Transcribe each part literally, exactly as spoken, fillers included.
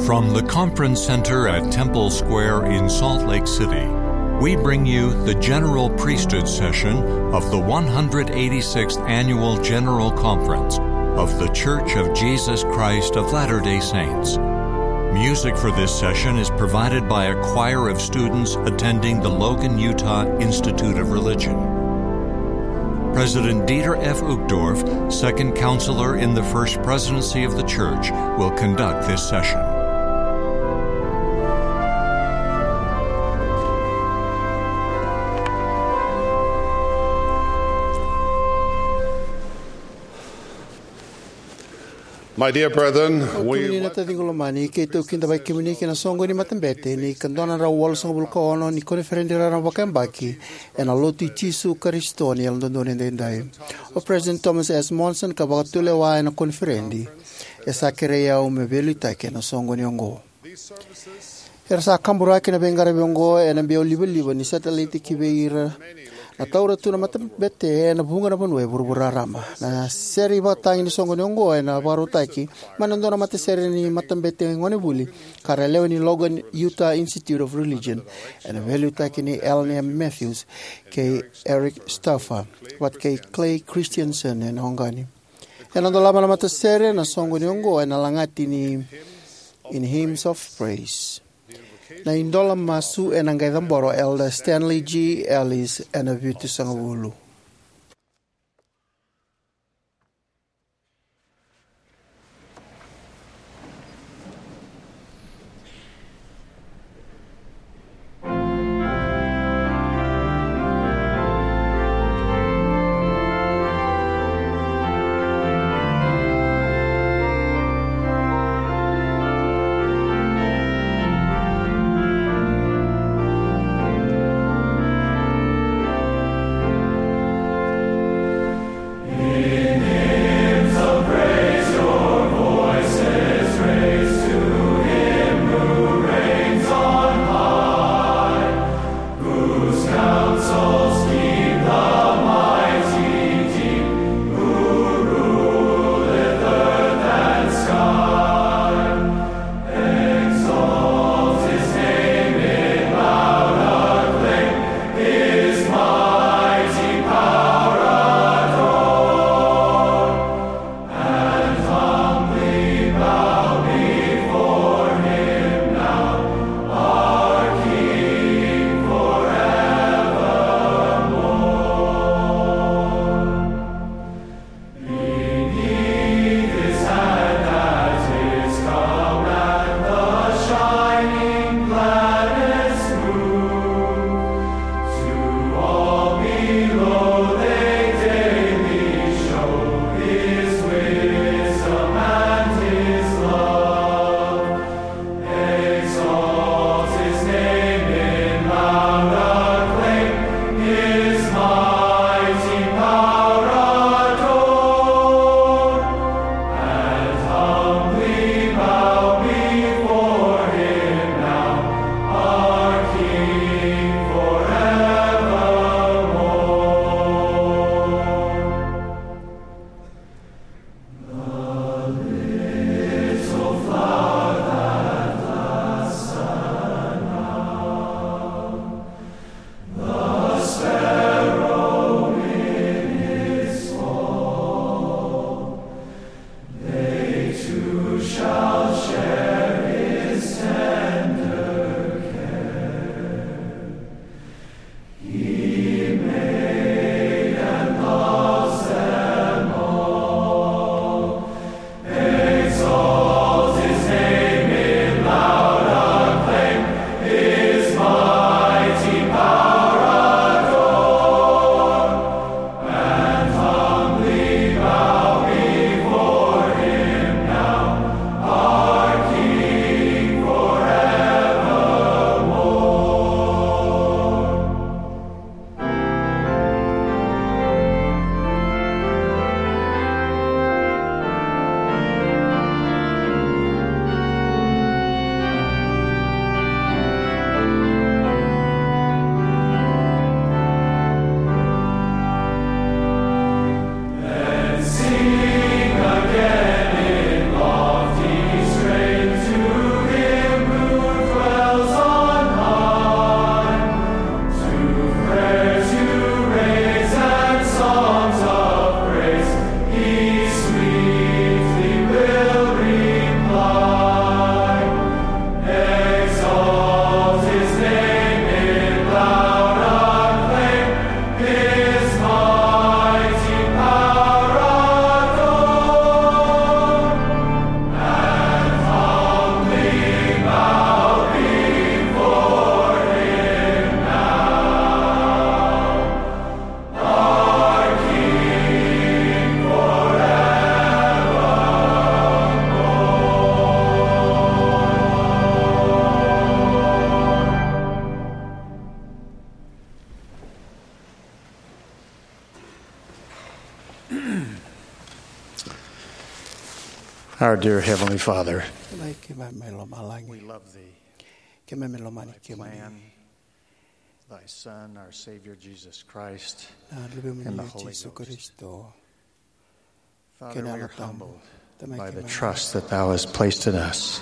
From the Conference Center at Temple Square in Salt Lake City, we bring you the General Priesthood session of the one hundred eighty-sixth Annual General Conference of The Church of Jesus Christ of Latter-day Saints. Music for this session is provided by a choir of students attending the Logan Utah Institute of Religion. President Dieter F. Uchtdorf, Second Counselor in the First Presidency of the Church, will conduct this session. My dear brethren, we Kemuni na taciqu lomani, keitou kidavaki kemuni kei na soqoni ni matabete ni ika dua na drau walusagavulu ka ono ni koniferedi raraba vakayabaki ena Lotu i Jisu Karisito ni Yalododonu Edaidai. O President Thomas S. Monson ka vakatulewa ena koniferedi e sa kerei au me veiliutaki ena soqoni oqo. Era sa kaburaki na veiqaravi oqo ena biau livaliva ni satelaiti ki vei ira na taura tu na matabete ena vuqa na vanua e vuravura raraba. Na sere ivakatagi ni soqoni oqo ena vakarautaki mai na dua na matasere ni matabete gonevuli ka ra lewe ni Logan Utah Institute of Religion, ena veiliutaki ni Allen M. Matthews kei Eric Stauffer vata kei Clay Christensen ena oqani. Ena dolava na matasere na soqoni oqo ena lagati ni In Hymns of Praise. Na idola masu ena qai cabora o Elder Stanley G. Ellis ena vitusagavulu. Our dear Heavenly Father, Tamai keimami mai lomalagi, we love thee. Keimami lomani kemuni. Plan thy Son, our Savior Jesus Christ, na Luvemuni and the Jisu Holy Ghost. Karisito. Father, we are humbled by the trust that thou hast placed in us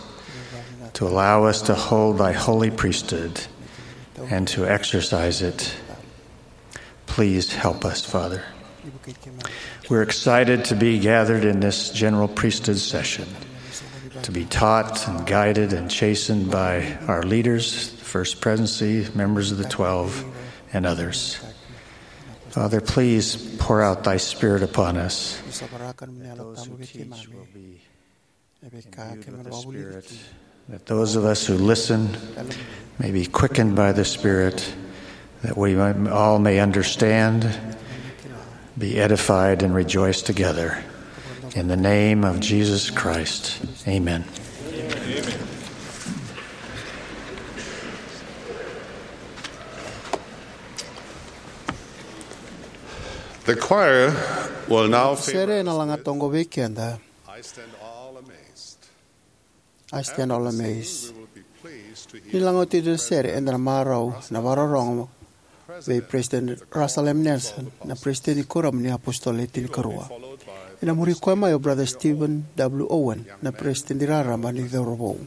to allow us to hold thy holy priesthood and to exercise it. Please help us, Father. We're excited to be gathered in this general priesthood session, to be taught and guided and chastened by our leaders, the First Presidency, members of the Twelve, and others. Father, please pour out thy Spirit upon us. That those who teach will be imbued with the Spirit, that those of us who listen may be quickened by the Spirit, that we all may understand, be edified, and rejoice together. In the name of Jesus Christ, amen. The choir will now favor us with I Stand All Amazed. I Stand All Amazed. Ni lagoti na sere, eda na marau na vakarorogo vei President Russell M Nelson, na President ni Kuoramu ni iApositolo Le Tinikarua. Ena muri koya mai o Brother Stephen W Owen, na President Raraba ni Cauravou.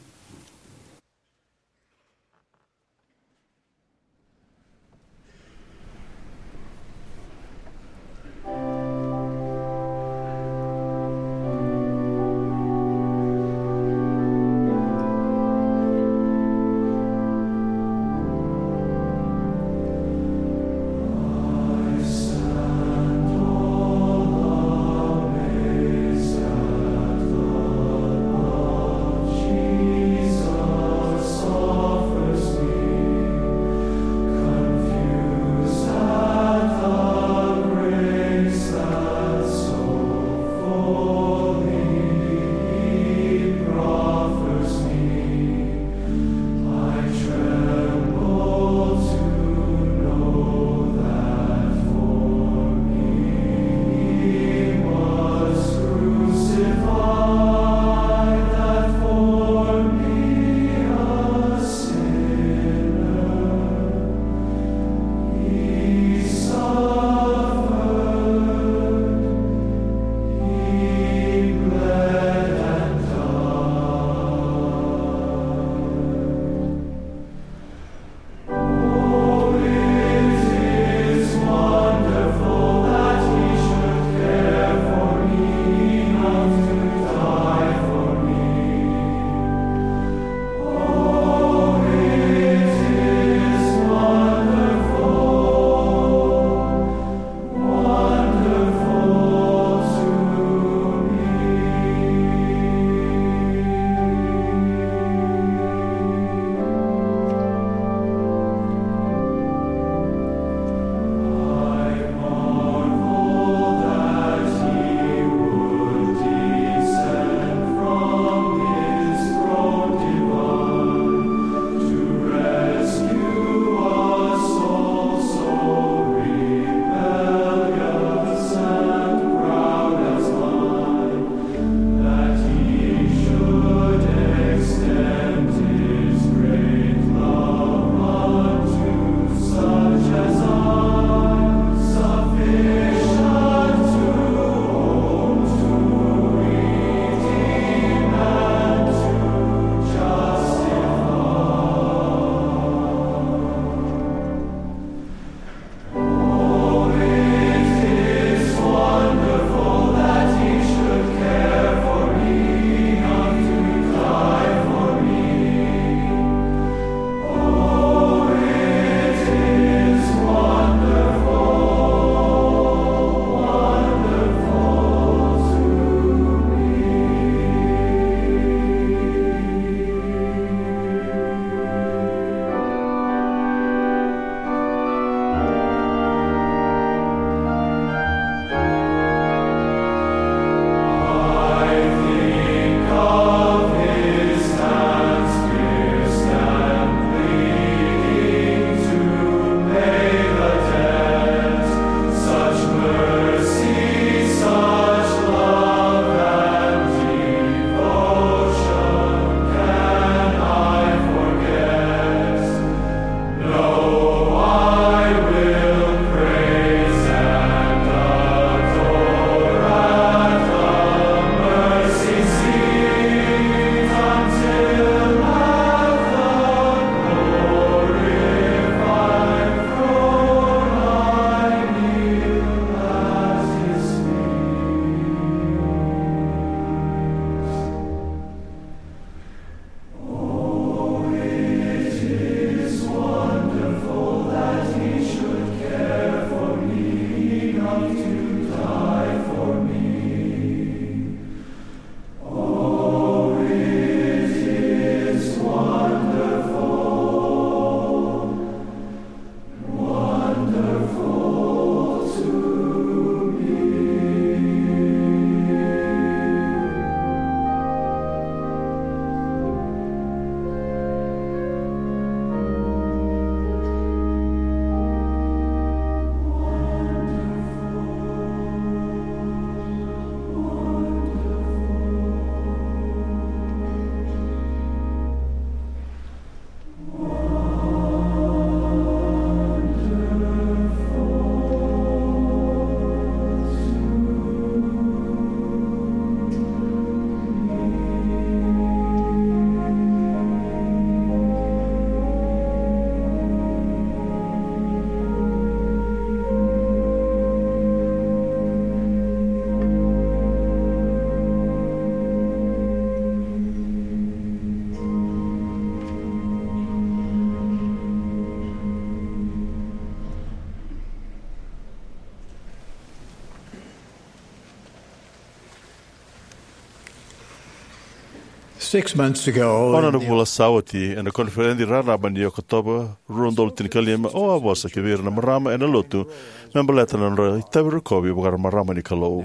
Six months ago, Ono na vula sa oti, ena koniferedi raraba ni Okotova rua na udolu tinikalima, au a vosa ki vei ira na marama ena lotu me baleta na nodra itavi rokovi vaka marama ni Kalou.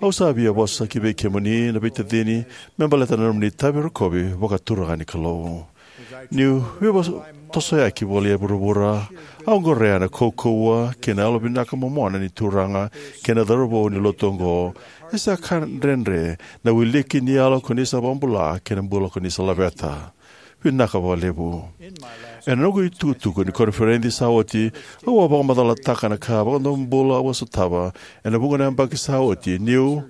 Au sa via vosa ki vei kemuni na veitacini me baleta na nomuni itavi rokovi vakaturaga ni Kalou. Niu veivakatosoyaki voli e vuravura, au qorea na kaukauwa kei na yalovinaka momona ni Turaga kei na cauravou ni lotu oqo. E sa ka dredre na wiliki ni yalo ko ni sa vakabula kei na bula ko ni sa laveta. Vinaka vakalevu. Ena noqu itukutuku ni koniferedi sa oti, au a vakamacalataka na ka vakadomobula au a sotava ena vuqa na yabaki sa oti, niu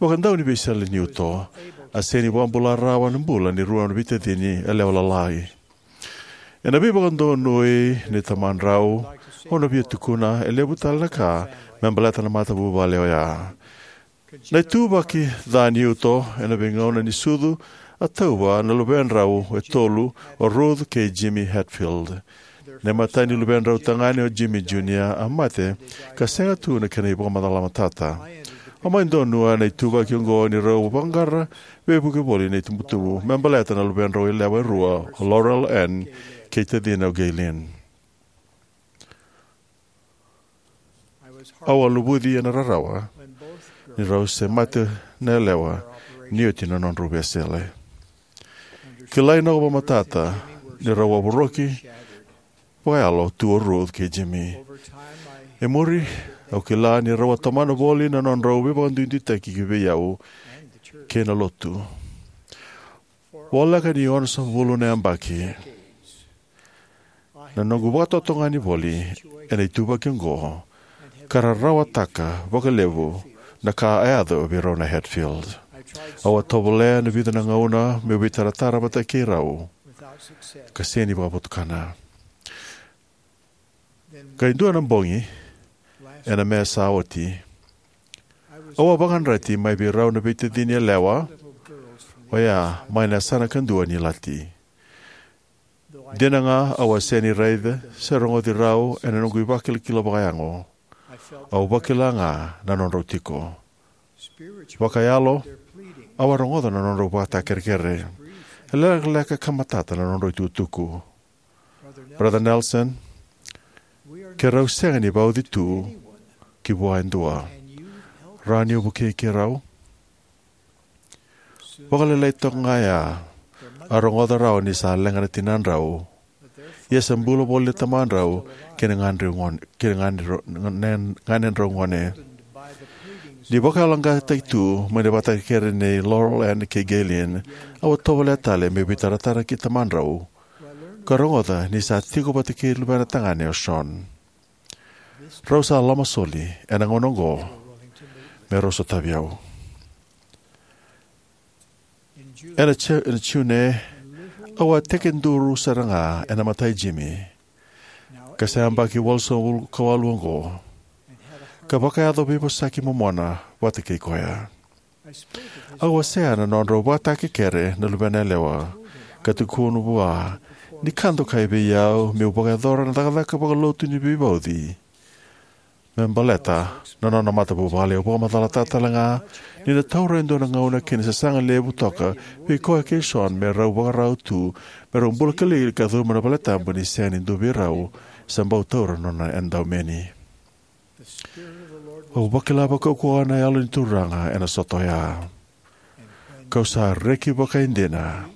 vakadauniveiseleniuto, a sega ni vakabula rawa na bula ni rua na veitacini yalewa lalai. Ena veivakadonui nei tamadrau, au na via tukuna e levu tale na ka me baleta na matavuvale oya. Na ituvaki ca ni uto ena veigauna ni sucu a tauva na luvedrau e tolu, o Ruth kei Jimmy Hatfield. Na imatai ni luvedrau tagane, o Jimmy Junior, a mate ka sega tu na kena ivakamacala matata. Au mai donua na ituvaki oqo ni rau vaqara veivuke voli na itubutubu me baleta na luvedrau yalewa e rua, o Laurel Ann kei tacina, o Gaylene. Au a luvuci ena rarawa ni rau se mate na yalewa ni oti na nodrau veisele. Kilai na noqu vakamatata ni rau a voroki vakayalo tu o Ruth kei Jimmy. E muri, au kila ni rau a tomana voli na nodrau veivakaduiduitaki ki vei au kei na lotu. Voleka ni onosagavulu na yabaki, na noqu vakatotogani voli ena ituvaki oqo ka rarawataka vakalevu na ka a yaco vei rau na Hatfield. Au a tovolea na vica na gauna meu veitaratara vata kei rau ka sega ni vakavotukana. Qai dua na bogi ena Me sa oti, au a vakayadrati mai vei rau na veitacini yalewa oya mai na yasana kadua ni Lati. Dina ga au a sega ni raica se rogoci rau ena noqu ivakilakila vakayago, au vakila ga na nodrau tiko. Vakayalo, au a rogoca na nodrau ivakatakerekere. E lekaleka ka matata na nodrau itukutuku. Brother Nelson, keirau sega ni vauci tu ki vua e dua. Rawa ni o vukei keirau? Vakalailai toka ga ya, a rogoca rawa ni sa leqa na tinadrau. Ia sa bula voli na tamadrau kei na ganedrau gone, kei na ganedrau, na ganedrau gone. Ni vakayaloqaqataki tu mai na ivakatakekere nei Laurel Ann kei Gaylene, au a tovolea tale meu veitaratara ki tamadrau ka rogoca ni sa tiko vata kei luvena tagane o Sean. Rau sa lomasoli ena gauna oqo me rau sotavi au. Ena Ju-, ena June, au a tekiduru sara ga ena mata i Jimmy, ka sa yabaki walusagavulu ka walu oqo, ka vakayaco veivosaki momona vata kei koya. Au wasea na nodrau ivakatakekere na luvena yalewa, ka tukuna vua ni ka dokai vei au meu vakayacora na cakacaka vakalotu ni veivauci me baleta na nona matavuvale. Au vakamacalataka tale ga ni na taura e dua na gauna kei na sasaga levu toka vei koya kei Sean me rau vakarau tu me rau bula kilikili ka curuma na valetabu ni sega ni dua vei rau sa bau taura na nona edaumeni. Au vakila vakaukauwa na Yalo ni Turaga ena sota oya, kau sa reki vakaidina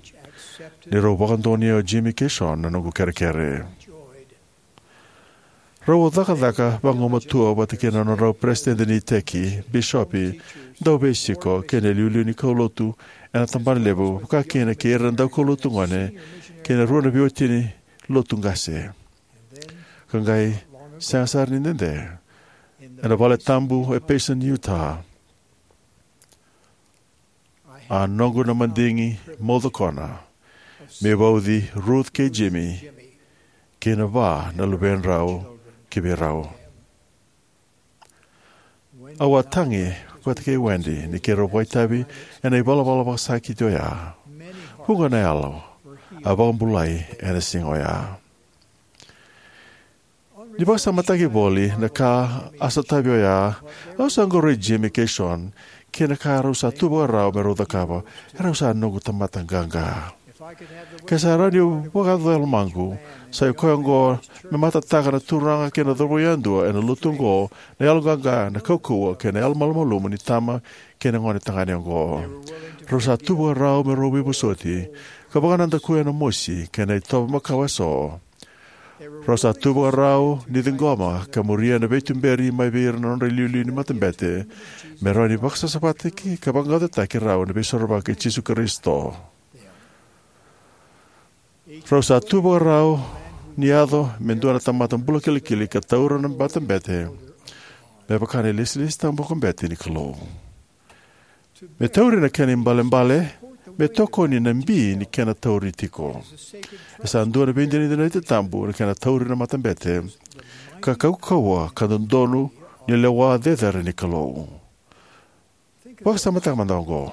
ni rau vakadonuya o Jimmy kei Sean na noqu kerekere. Rau a cakacaka vagumatua vata kei na nodrau peresitedi ni iteki, bisopi, dauveisiko kei na iliuliu ni kaulotu ena tabanalevu, vaka kina kei ira na daukaulotu gone kei na rua na veiwatini lotu qase. Ka qai sega sara ni dede, ena valetabu e Payson, Utah, a noqu na madigi maucokona me vauci Ruth kei Jimmy kei na va na luvedrau ki vei rau. Au a tagi vata kei Wendy ni keirau vakaitavi ena ivalavala vakasakiti oya. Vuqa na yalo a vakabulai ena siga oya. Ni vakasamataki voli na ka a sotavi oya, au sa qoroi Jimmy kei Sean kei na ka rau sa tu vakarau me rau cakava. Erau sa noqu tamata qaqa. Ke sa rawa niu vakayacora na lomaqu, sa ikoya oqo me matataka na turaga kei na cauravou yadua ena lotu oqo, na yaloqaqa, na kaukauwa kei na yalomalumalumu ni tama kei na gone tagane oqo. Rau sa tu vakarau me rau veivosoti ka vakanadakuya na mosi kei na itovo makawa eso. Rau sa tu vakarau ni ciqoma ka muria na veituberi mai vei ira na nodra iliuliu ni matabete, me rawa ni vakasasavataki ka vaqaqacotaki rau ena Veisorovaki i Jisu Karisito. Rau sa tu vakarau ni yaco me dua na tamata bula kilikili ka taura na matabete me vaka na ilesilesi tabu vakabete ni Kalou. Me tauri na kena ibalebale, me tokoni na bi ni kena tauri tiko. E sa dua na veidinadinati tabu na kena tauri na matabete, ka kaukauwa ka dodonu ni lewa cecere ni Kalou. Vakasamataka mada oqo.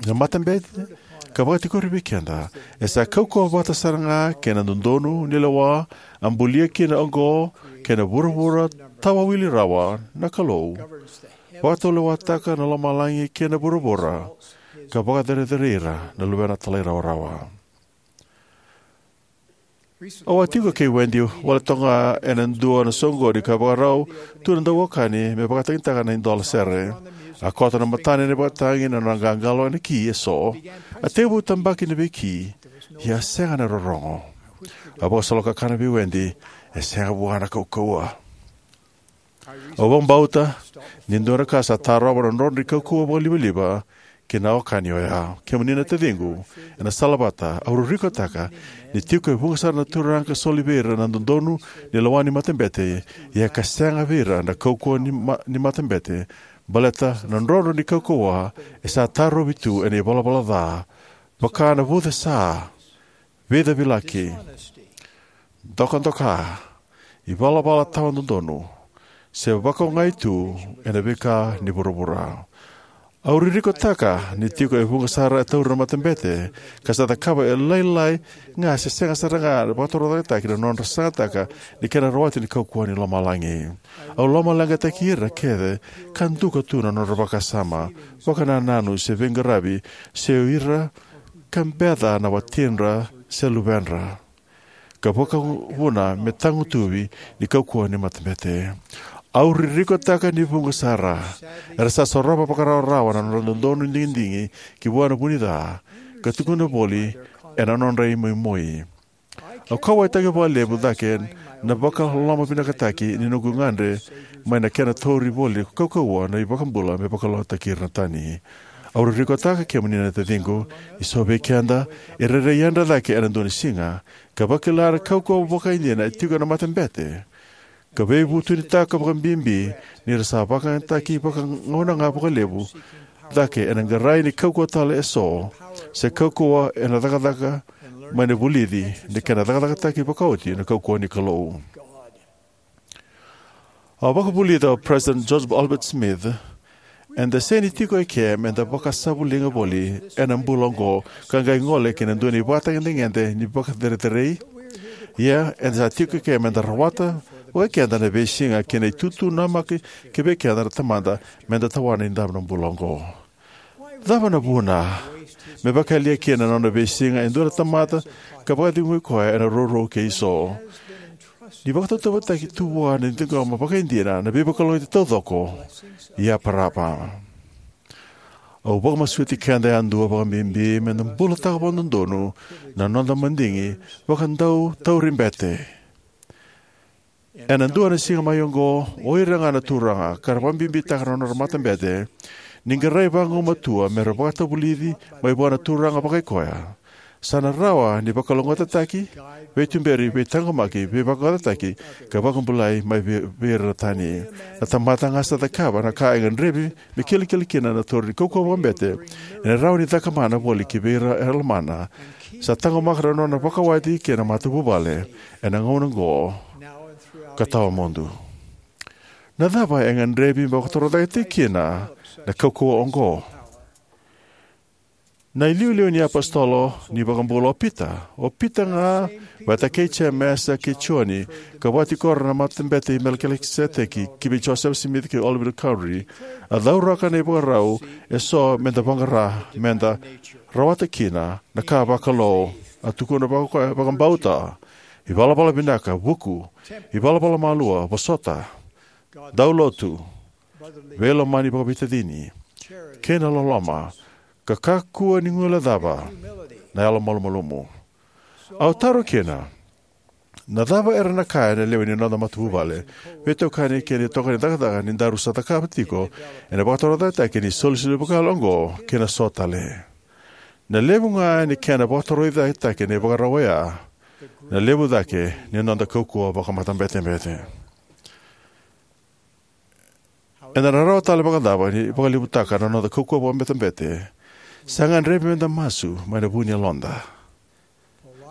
Na matabete ka vakatikori vei keda e sa kaukauwa vata sara ga kei na dodonu ni lewa a bulia kina oqo kei na vuravura tawawili rawa na Kalou. Vakatalewataka na lomalagi kei na vuravura ka vakacerecerei ira na luvena talairawarawa. Au a tiko kei Wendy wale toka ga ena dua na soqoni ka vakarau tu na dauwakani me vakatagitaka na idola sere. A koto na matana ena ivakatagi, na nona qaqalo ena ki eso. A tekivu tabaki na veiki, ia a sega na rorogo. A vakasolokakana vei Wendy, e sega vua na kaukauwa. Au vakabauta ni dua na ka sa tarova na nodra ni kaukauwa vakalivaliva ki na wekani oya. Kemuni na taciqu, ena salavata, au ririkotaka ni tiko e vuqa sara na turaga ka soli vei ira na dodonu ni lewa ni matabete, ia ka sega vei ira na kaukauwa ni, ma, ni matabete, baleta na nodra ni kaukauwa e sa tarovi tu ena ivalavala ca, vaka na vucesa, veicavilaki, dokadoka, ivalavala tawa dodonu, se vakaogai tu ena veika ni vuravura. Au ririkotaka ni tiko e vuqa sara e taura na matabete ka sa cakava e lailai ga se sega sara ga na vakatorocaketaki na nodra sagataka ni kena rawati na kaukauwa ni lomalagi. Au lomaleqataki ira kece ka duka tu na nodra vakasama, vakanananu se veiqaravi, se o ira ka beca na watidra se luvedra, ka vakavuna me tagutuvi ni kaukauwa ni matabete. Au ririkotaka ni vuqa sara era sa sorova vakarawarawa na nodra dodonu digidigi ki vua na vunica, ka tukuna voli ena nodra imoimoi. Au kauwaitaka vakalevu cake na vakalomavinakataki ni noqu gagadre mai na kena tauri voli kaukauwa na iVakabula me vakalougatataki ira na tani. Au ririkotaka, kemuni na taciqu, ni so vei keda e rairai yadra cake ena dua na siga ka vakila na kaukauwa vakaidina e tiko ena matabete, ka veivutunitaka vakabibi ni ra sa vakayagataki vakagauna ga vakalevu cake ena qarai ni kaukauwa tale eso, se kaukauwa ena cakacaka mai na vulici ni kena cakacakataki vakaoti na kaukauwa ni Kalou. A vakavulica o President Joseph Albert Smith, eda sega ni tiko eke meda vakasavuliga voli ena bula oqo ka qai gole ki na dua na ivakatagedegede ni vakacerecerei. Ia, eda sa tiko eke meda rawata vakaikeda na veisiga kei na itutu namaki ki vei keda na Tamada meda tawana ena dava na bula oqo. Cava na vuna me vakayalia kina na nona veisiga e dua na tamata ka vakacegui koya ena rourou kei so? Ni vakatautauvatataki tu vua na ciqoma vakaidina na veivakalougatataki taucoko, ia parava. Au vakamasuti keda yadua vakabibi meda bulataka vakadodonu na noda madigi vakadau tauri bete. Ena dua na siga mai oqo, o ira ga na turaga ka ra vakabibitaka na nodra matabete, ni qarai vagumatua mera vakatavulici mai vua na Turaga vakaikoya, sa na rawa ni vakalougatataki, veituberi, veitaqomaki, veivakayacori, ka vakabulai mai vei, vei ira na tani. Na tamata ga sa cakava na ka e gadrevi me kilakila kina na tauri ni kaukauwa vakabete, ena rawa ni caka mana voli ki vei ira era lomana, sa taqomaka na nona vakawati kei na matavuvale ena gauna oqo ka tawamudu. Na cava e gadrevi me vakatorocaketaki kina na kaukauwa oqo? Na iliuliu ni iApositolo ni iVakabula o Pita. O Pita ga, vata kei Jemesa kei Joni, ka vakatikora na Matabete i Melikiseteki, ki vei Josefa Simici kei Oliver Cowdery, a cauraka na ivakarau eso meda vaqara, meda rawata kina na ka vakalou. A tukuna vaka-, vakabauta, ivalavala vinaka, vuku, ivalavala malua, vosota, daulotu, veilomani vakaveitacini, kei na loloma, ka kakua ni guilecava, na yalomalumalumu. Au taro kina, na cava era na kaya na lewe ni noda matavuvale, veitokani kei na itokani cakacaka ni daru sa cakava tiko ena vakatorocaketaki ni isolisoli vakayalo oqo kei na so tale? Na levu ga ni kena vakatorocaketaki na ivakarau oya, na levu cake ni noda kaukauwa vakamatabetebete. Eda na rawa tale vakacava ni vakalevutaka na noda kaukauwa vakamatabete? Sa gadrevi meda masu mai na vu ni yaloda.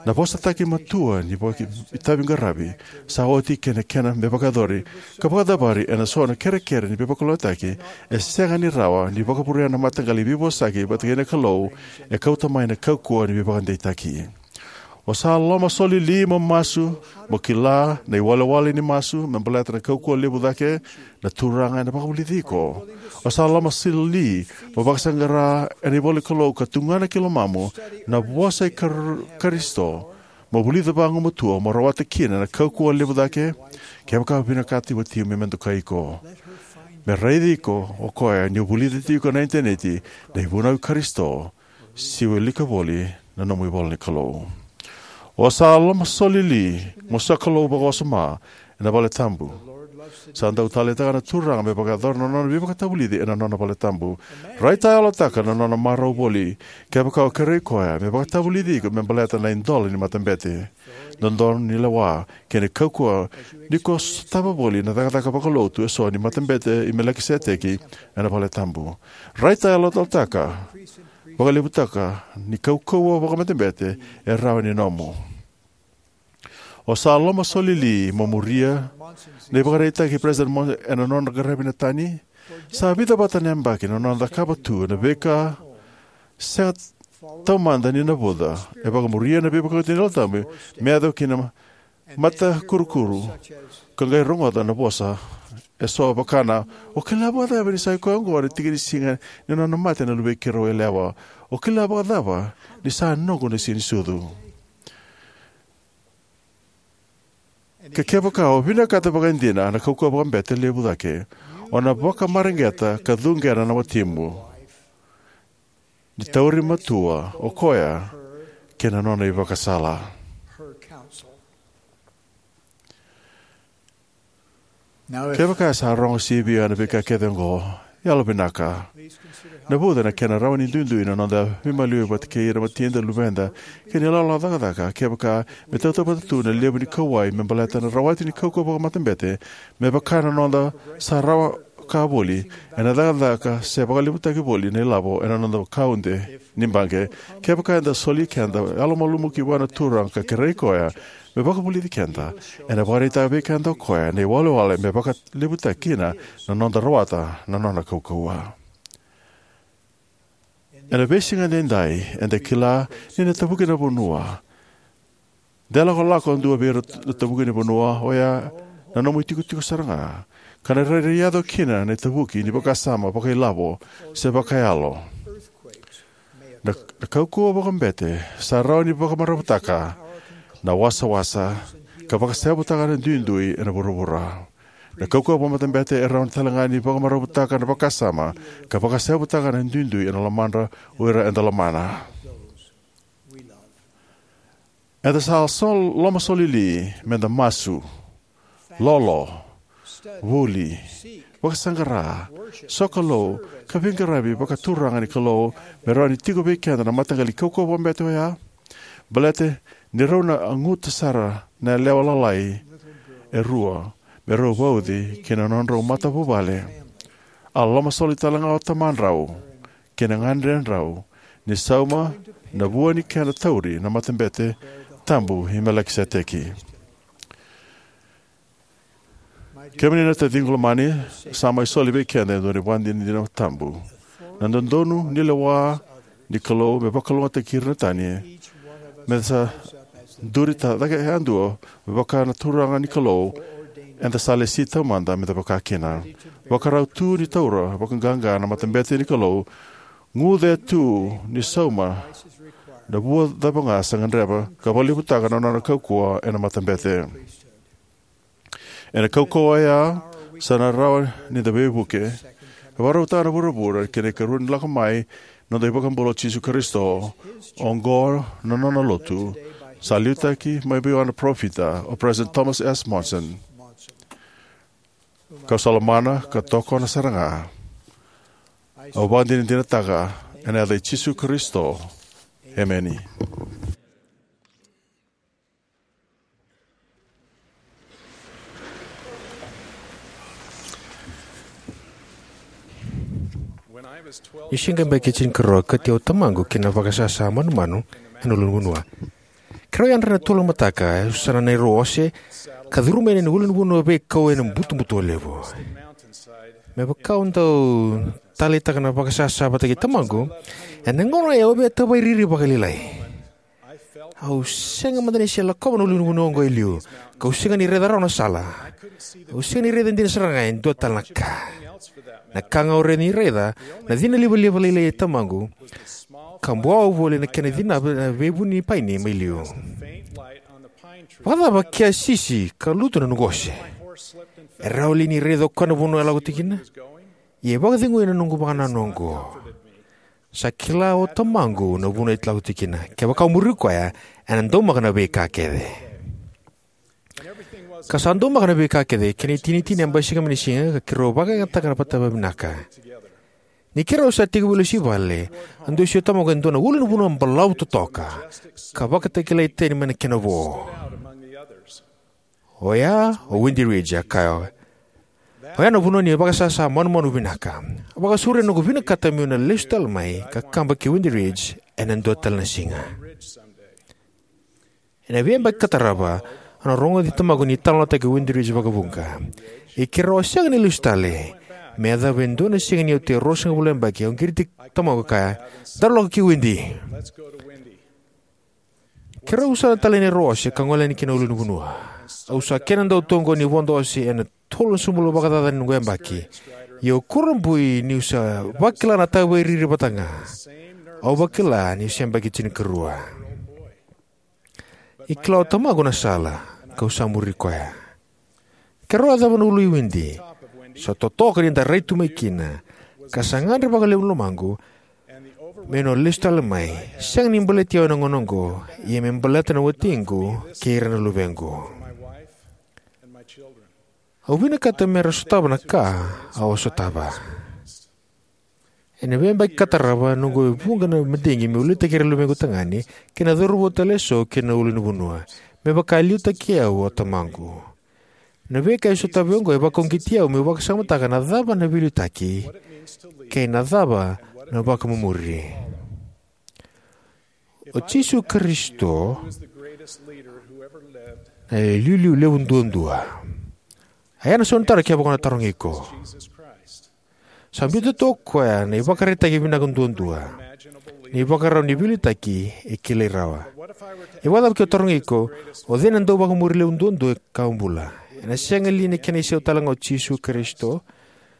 Na vosataki matua ni vakaitaviqaravi sa oti kei na kena me vakayacori ka vakacavari ena so na kerekere ni veivakalougatataki e sega ni rawa ni vakavurea na mataqali veivosaki vata kei na Kalou e kauta mai na kaukauwa ni veivakadeitaki. O sa lomasolili mo masu, mo kila na iwalewale ni masu me baleta na kaukauwa levu cake, na Turaga ena vakavulici iko. O sa lomasolili mo vakasaqara ena ivolanikalou ka tugana ki lomamu na vosa i Kar-, Karisito, mo vulica vagumatua mo rawata kina na kaukauwa levu cake. Kevaka o vinakata na watimu me dokai iko, me raici iko o koya ni o vulica tiko na initaneti na ivunau i Karisito, se wilika voli na nomu ivolanikalou. O sa lomasolili mo sokalou vakawasoma ena valetabu. Sa dau taleitaka na Turaga me vakayacora na nona veivakatavulici ena nona valetabu. Raitayalotaka na nona marau voli kevaka o kerei koya me vakatavulici iko me baleta na idola ni matabete, dodonu ni lewa, kei na kaukauwa ni ko sotava voli na cakacaka vakalotu eso ni Matabete i Melikiseteki ena valetabu. Raitayalotaka vakalevutaka ni kaukauwa vakamatabete e rawa ni nomu. O sa lomasolili mo muria na ivakaraitaki i President Monson ena nona qaravi na tani. Sa vica vata na yabaki na nona cakava tu na veika sega taumada ni navuca, e vakamuria na veivakauqeti ni Yalo Tabu me yaco ki na matakurukuru, ka qai rogoca na vosa eso vaka na, "O kila vakacava ni sa i koya oqo na tiki ni siga ni nona mate na luvei keirau yalewa? O kila vakacava ni sa noqu na siga ni sucu?" Ka kevaka o vinakata vakaidina na kaukauwa vakabete levu cake, o na vakamareqeta ka cuqena na watimu ni tauri matua o koya kei na nona ivakasala. Kevaka e sa rogo sivia na veika kece oqo, yalovinaka, navuca na kena rawa ni duidui na noda veimaliwai vata kei ira na watida, luveda, kei na ilawalawa cakacaka, kevaka me tautauvata tu na levu ni kauwai me baleta na rawati ni kaukauwa vakamatabete, me vaka na noda sa rawa ka voli ena cakacaka se vakalevutaki voli na ilavo ena noda kaude ni baqe. Kevaka eda soli keda yalomalumalumu ki vua na Turaga ka kerei koya me vakavulici keda, ena vakaraitaka vei keda o koya na iwalewale me vakalevutaki kina na noda rawata na nona kaukauwa. Ena veisiga edaidai, eda kila ni na tavuki na vanua. De lakolako e dua vei ira na tavuki ni vanua oya na nomu itikotiko sara ga, ka na rairai yaco kina na itavuki ni vakasama vakailavo se vakayalo. Na, na kaukauwa vakabete sa rawa ni vakamaravutaka na wasawasa ka vakaseyavutaka na duidui ena vuravura. Na kaukauwa vakamatabete e rawa ni talega ni vakamaravutaka na vakasama ka vakaseyavutaka na duidui ena lomadra o ira eda lomana. Eda sa sol-, lomasolili meda masu, lolo, vuli, vakasaqara, sokalou, ka veiqaravi vakaturaga ni Kalou me rawa ni tiko vei keda na mataqali kaukauwa vakabete oya. Baleta ni rau na guta sara na yalewa lalai e rua me rau vauci ki na nodrau matavuvale. A lomasoli talega o tamadrau kei na gadredrau ni sauma na vua ni kena tauri na matabete tabu i Melikiseteki. Kemuni na taciqu lomani, sa mai soli vei keda e dua na ivakadinadina tabu. Na dodonu ni lewa ni Kalou me vakalougatataki ira na tani, me da sa duri ta cake yadua, me vaka na Turaga ni Kalou eda sa lesi taumada me da vaka kina. Vakarau tu ni taura vakaqaqa na matabete ni Kalou, guce tu ni sauma na vua cava ga sa gadreva, ka vakalevutaka na nona kaukauwa ena matabete. Ena kaukauwa oya sa na rawa ni da veivuke. E vakarautaka na vuravura kei na ikarua ni lako mai na noda iVakabula o Jisu Karisito. Oqo na nona lotu sa liutaki mai vei au na parofita o President Thomas S. Monson. Kau sa lomana ka tokona sara ga. Au vakadinadinataka ena yaca i Jisu Karisito. Emeni. Ni siga beka e tinikarua, kati au tamaqu ki na vakasasa manumanu ena ulunivanua. Keirau yadra ena tolu na mataka, e usana na neirau ose, ka curuma yani na ulunivanua veikau ena butobuto levu. Me vaka au dau taleitaka na vakasasa vata kei tamaqu, ena gauna oya au via tavairiri vakalailai. Au sega mada ni se lakova na ulunivanua oqo e liu, kau sega ni raica rawa na sala. Au sega ni raica dina sara ga e dua tale na ka. Na ka ga au rawa ni raica, na cina livaliva lailai e tamaqu, ka buawa voli na kena cina na veivuni paini mai liu. Vakacava ke a sisi ka lutu na noqu ose? E rawa li ni raica o koya na vanua e lako tiko kina? Ia e vakacegui na noqu vakanananu oqo. Sa kila o tamaqu na vanua e lako tiko kina. Kevaka au muri koya, ena daumaka na veika kece. Ka sa daumaka na veika kece, kena itinitini a basika mai na siga, ka keirau vakayagataka na vata vavinaka. Ni keirau sa tekivu lesu i vale, a dusi o tamaqu e dua na ulunivanua balavu totoka, ka vakatakilai tani mai na kena vo. Oya o Windy Ridge, a kaya. Oya na vanua ni vakasasa manumanu vinaka. A vakasauri na noqu vinakata meu na lesu tale mai ka kaba ki Windy Ridge ena dua tale na siga. Ena veiyabaki ka tarava, au na rogoci tamaqu ni talanoataki Windy Ridge vakavuqa. Ia keirau a sega ni lesu tale. Me yacova e dua na siga ni oti e ruasagavulu na yabaki, au qiriti tamaqu ka kaya, "Daru lako ki Windy." Keirau usana tale na neirau ose ka gole yani ki na ulunivanua. Au sa kena dau tu oqo ni vodo ose ena tolu na sobulo vakacaca ni noqu yabaki. Ia au kurabui niu sa vakila na tavairiri vata ga. Au vakila niu se yabaki tinikarua. E kila o tamaqu na sala, kau sa muri koya. Keirau yacova na ulu i Windy. Sa totoka ni da rai tu mai kina. Ka sa gadre vakalevu na lomaqu meu na lesu tale mai. Sega ni baleti au ena gauna oqo, ia me baleta na watiqu kei ira na luvequ. Au vinakata mera sotava na ka au a sotava. Ena veiyabaki ka tarava, noqu e vuqa na madigi meu liutaki ira na luvequ tagane kei na cauravou tale eso ki na ulunivanua, me vaka e liutaki au o tamaqu. Na veika e sotava oqo e vakauqeti au meu vakasamataka na cava na veiliutaki kei na cava na vakamumuri. O Jisu Karisito na iliuliu levu duadua. A ya na sau ni taro kevaka au na tarogi iko. Sa biuta tu o koya na ivakaraitaki vinaka duadua, na ivakarau ni veiliutaki e kilai rawa. E vakacava ke au tarogi iko, o cei na dauvakamumuri levu duadua ka bula? Ena sega li ni kena isau tale ga o Jisu Karisito?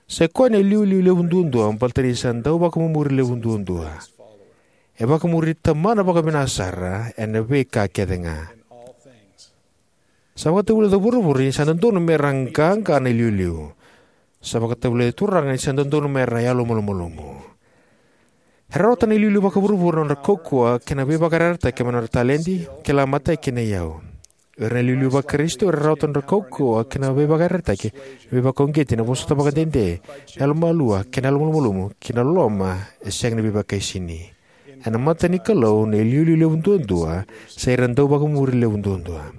Sa i koya na iliuliu levu duadua baleta ni sa dauvakamumuri levu duadua. E vakamuri Tamana vakavinaka sara ena veika kece ga. Sa vakatavulica o vuravura ni sa dodonu mera qaqa na iliuliu. Sa vakatavulica na Turaga ni sa dodonu mera yalomalumalumu. E rawata na iliuliu vakavuravura na nodra kaukauwa kei na veivakayarayarataki mai na nodra taledi, kila matai kei na iyau. O ira na iliuliu vaKarisito era rawata na nodra kaukauwa kei na veivakayarayarataki, na veivakauqeti, na vosota vakadede, na yalomalua kei na yalomalumalumu, kei na loloma e sega ni veivakaisini. Ena mata ni Kalou, na iliuliu levu duadua sa ira na dauvakamuri levu duadua.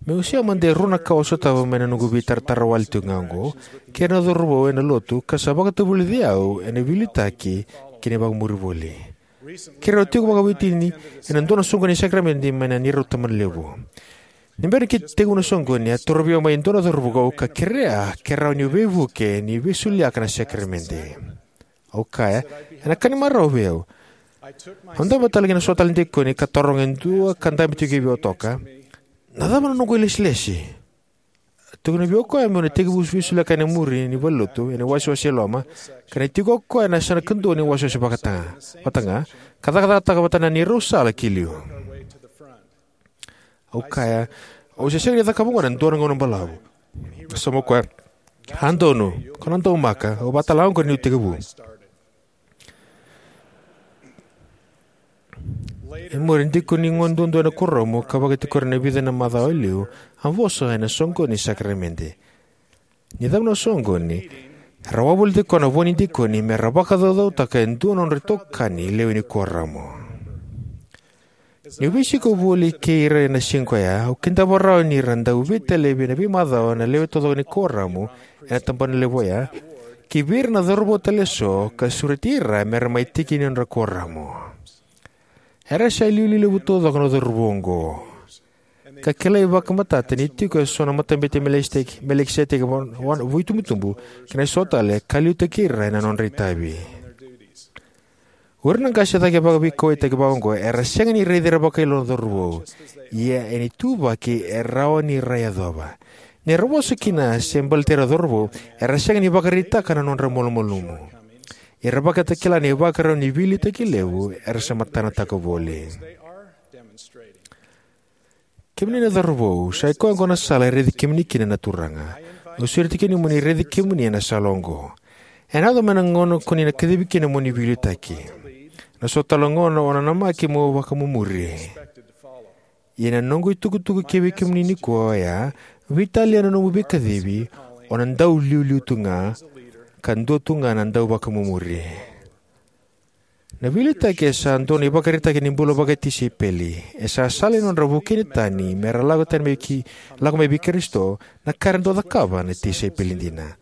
Meu wasea mada e rua na ka au sotava mai na noqu veitaratara wale tiko ga oqo kei ira na cauravou ena lotu, ka sa vakatavulici au ena veiliutaki kei na vakamuri voli. Keirau tiko vakaveiwatini ena dua na soqoni ni sakaramede mai na neirau tabanalevu. Ni bera ni tekivu na soqoni, a torovi au mai e dua na cauravou ka kerea ke rawa niu veivuke ni veisoliaka na sakaramede. Au kaya, ena ka ni marau vei au. Au dabe tale ki na so tale na dikoni ka taroga e dua ka dabe tiko vei au toka, na cava na noqu ilesilesi? Tukuna vei au o koya meu na tekivu veisoliyaka ena muri ni valenilotu ena iwasewase e loma, ka ni tiko o koya ena yasana kadua ni wasewase vata ga, ka cakacakataka vata na neirau sala ki liu. Au kaya, au se sega ni cakava oqo ena dua na gauna balavu. Sa mai kaya, a donu, ko na daumaka, au vakatalega oqori niu tekivu. E muri, dikoni gone duadua ena kuoramu ka vakatikori ena vica na macawa e liu, a vosa ena soqoni ni sakaramede. Ni cava na soqoni, era wavoliti koya na vo ni dikoni me ra vakacaucautaka e dua na nodra itokani lewe ni kuoramu. Niu veisiko voli kei ira ena siga ko ya, au kidava rawa ni ra dau veitalevi ena veimacawa na lewe taucoko ni kuoramu ena tabana levu oya, ki vei ira na cauravou tale eso, ka sureti ira me ra mai tiki ni nodra kuoramu. Era sa iliuliu levu taucoko na cauravou oqo, ka kilai vakamatata ni tiko eso na Matabete i Melikiseteki, Melikiseteki va-, va-, vuitubutubu kei na so tale, ka liutaki ira ena nodra itavi. O ira na qase cake vakaveikauwaitaki vaka oqo era sega ni raici ira vakailoa na cauravou, ia ena ituvaki e rawa ni ra yacova. Ni ra vosa kina se baleti ira na cauravou, era sega ni vakaraitaka na nodra malumalumu. Era vakatakila na ivakarau ni veiliutaki levu era sa matanataka voli. Kemuni na cauravou, sa i koya oqo na sala e raici kemuni kina na Turaga. Au sureti kemuni mo ni raici kemuni ena sala oqo. Ena yaco mai na gauna ko ni na kacivi kina mo ni veiliutaki. Na so tale na gauna o na namaki mo vakamumuri. Ia na noqu itukutuku kivei kemuni nikua oya, veitalia na nomu veikacivi, o na dau iliuliu tu ga, ka dua tu ga na dau vakamumuri. Na veiliutaki e sa dua na ivakaraitaki ni bula vakatisaipeli. E sa sala ni nodra vukei na tani me ra lako tani mai ki, lako mai vei Karisito, na ka era dau cakava na tisaipeli dina.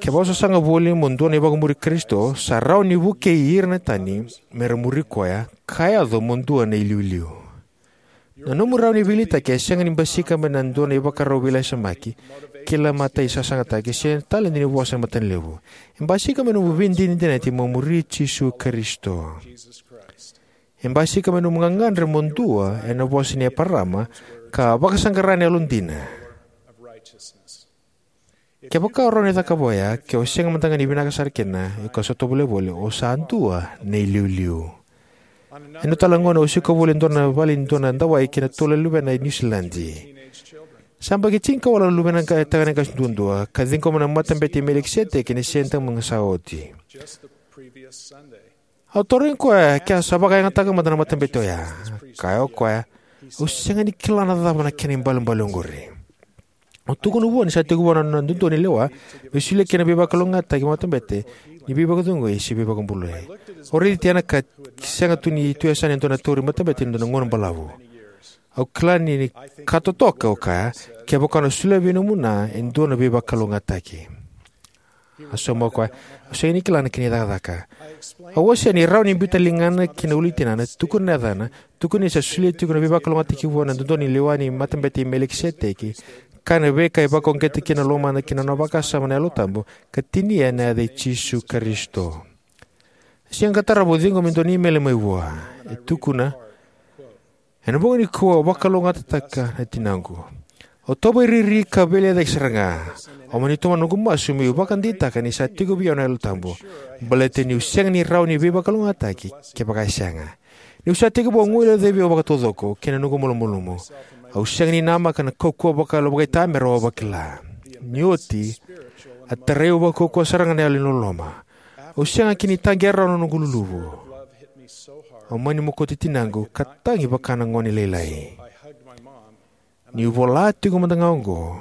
Kevaka o sasaga voli mo dua na ivakamuri Karisito, sa rawa ni vukei ira na tani me ra muri koya, ka yaco mo dua na iliuliu. Na nomu rawa ni veiliutaki e sega ni basika mai na dua na ivakarau veilasamaki, kila matai sasagataki, se taledi ni vosa e matanalevu. E basika mai nomu veidinadinati mo muri Jisu Karisito. E basika mai nomu gagadre mo dua ena vosa ni Eparama, ka vakasaqara na yalodina. Kevaka o rawa ni cakava oya, ke o sega mada ga ni vinaka sara kina, io ka sa tovolea voli, o sa dua na iliuliu. Ena tale na gauna au sikova voli e dua na vale ni dua na dawai kei na tolu na luvena e Niusiladi. Sa yabaki tinikawalu na luvena qa-, tagane qase duadua, ka ciqoma na Matabete i Melikiseteki ena Sede ni siga sa oti. Au tarogi koya ke a sa vakayagataka mada na matabete oya. Kaya o koya, au sega ni kila na cava na kena ibalebale oqori. Au tukuna vua ni sa tekivu na nona dodonu ni lewa me solia kina na veivakalougatataki vakatabete ni veivakacegui se veivakabulai. Au raici Tiana ka sega tu ni tu e yasana e dua na tauri matabete ena dua na gauna balavu. Au kila ni, ni ka totoka, au kaya, kevaka o na solia vei nomu na e dua na veivakalougatataki. A sauma o koya, au sega ni kila na kena icakacaka. Au wasea ni rawa ni biuta na ligana ki na ulu ni tinana, tukuna na yacana, tukuna ni sa solia tiko na veivakalougatataki vua na dodonu ni lewa ni Matabete i Melikiseteki, kaya na veika e vakauqeta kina na lomana kei na nona vakasama na Yalo Tabu, ka tinia na yaca i Jisu Karisito. Siga ka tarava au ciqoma e dua na imeli mai vua. E tukuna, ena bogi nikua au vakalougatataka na tinaqu. Au tovolea ni riri ka veilecayaki sara ga. Au mani tomana noqu masu meu vakadeitaka ni sa tiko vei au na Yalo Tabu. Baleta niu sega ni rawa ni veivakalougatataki kevaka e sega. Niu sa tekivu guilecavi au vakataucoko kei na noqu malumalumu. Au sega ni namaka na kaukauwa vakayalo vakaitamera au a vakila. Ni oti, a tarai au vakaukauwa sara ga na yalo ni loloma. Au sega kina ni taqea rawa na noqu luluvu. Au mani mokoti tinaqu ka tagi vaka na gone lailai. Niu vola tiko mada ga oqo,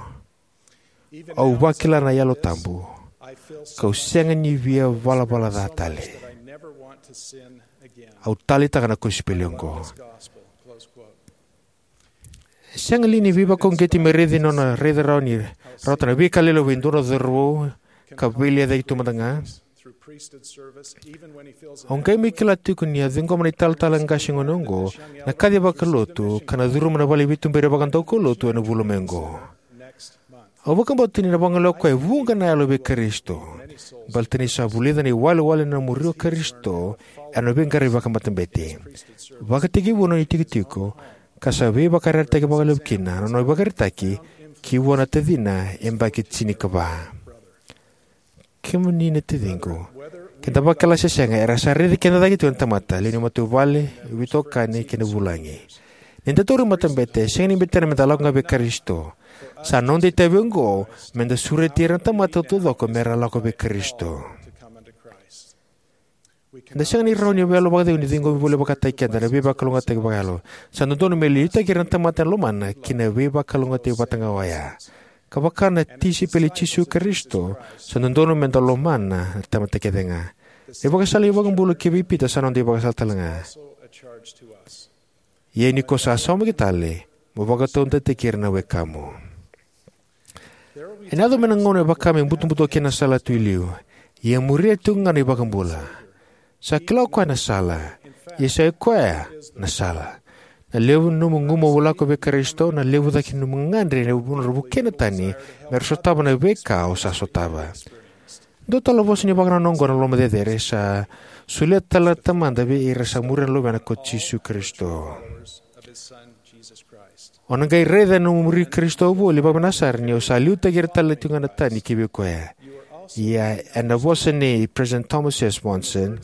au vakila na Yalo Tabu, kau sega ni via valavala ca tale. Au taleitaka na kosipeli oqo. E sega li ni veivakauqeti me raici nona raica rawa ni rawata na veika lelevu e dua na cauravou ka veilecayaki tu mada ga? Au qai mai kila tiko ni a ciqoma na italatala qase gone oqo na kaci vakalotu ka na curuma na vale ni veituberi vakadaukaulotu ena vula mai oqo. Au vakabauta ni na vagolea o koya e vuqa na yalo vei Karisito. Baleta ni sa vulica na iwalewale na muri o Karisito ena veiqaravi vakamatabete. Vakatekivu na nona itikotiko, ka sa veivakayarayarataki vakalevu kina na nona ivakaraitaki ki vua na tacina e yabaki tinikava. Kemuni na taciqu, ke da vakila se sega, era sa raici keda cake tiko na tamata, lewe ni matavuvale, veitokani kei na vulagi. Ni da taura na matabete, sega ni bete me da lako ga vei Karisito. Sa noda itavi oqo me da sureti ira na tamata taucoko me ra lako vei Karisito. Eda sega ni rawa ni yalo vakacegu ni ciqomi voli vakataki keda na veivakalougatataki vakayalo. Sa dodonu me liutaki ira na tamata ena lomana ki na veivakalougatataki vata ga oya. Ka vaka na tisaipeli i Jisu Karisito, sa dodonu me da lomana na tamata kece ga. Na ivakasala ni iVakabula kivei Pita sa noda ivakasala tale ga. Ia ni ko sa saumaki tale, mo vakataudeitaki ira na wekamu. Ena yaco mai na gauna e vaka me butobuto kina na sala tu i liu, ia e muria tiko ga na iVakabula. Sa kila o koya na sala, ia sa i koya na sala. Na levu ni nomu gumaua lako vei Karisito, na levu cake ni nomu gagadre ena nodra vukei na tani me ra sotava na veika o sa sotava. Dua tale na vosa ni vakanananu oqo na loloma cecere sa solia tale na Tamada vei ira sa muria na Luvena ko Jisu Karisito. O na qai raica na nomu muri Karisito voli vakavinaka sara ni o sa liutaki ira tale tiko ga na tani ki vei koya. Ia ena vosa nei President Thomas S. Monson,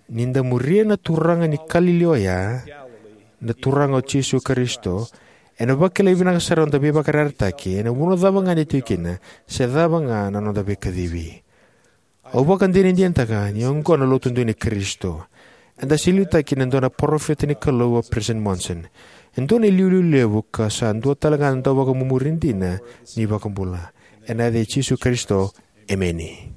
ni da muria na Turaga ni Kalili oya, na Turaga o Jisu Karisito, ena vakilai vinaka sara na noda veivakayarayarataki ena vanua cava ga eda tiko kina, se cava ga na noda veikacivi. Au vakadinadinataka ni oqo na Lotu dina i Karisito. Eda sa liutaki ena dua na parofita ni Kalou, o President Monson. E dua na iliuliu levu ka sa dua tale ga na dauvakamumuri dina ni iVakabula. Ena yaca i Jisu Karisito, emeni.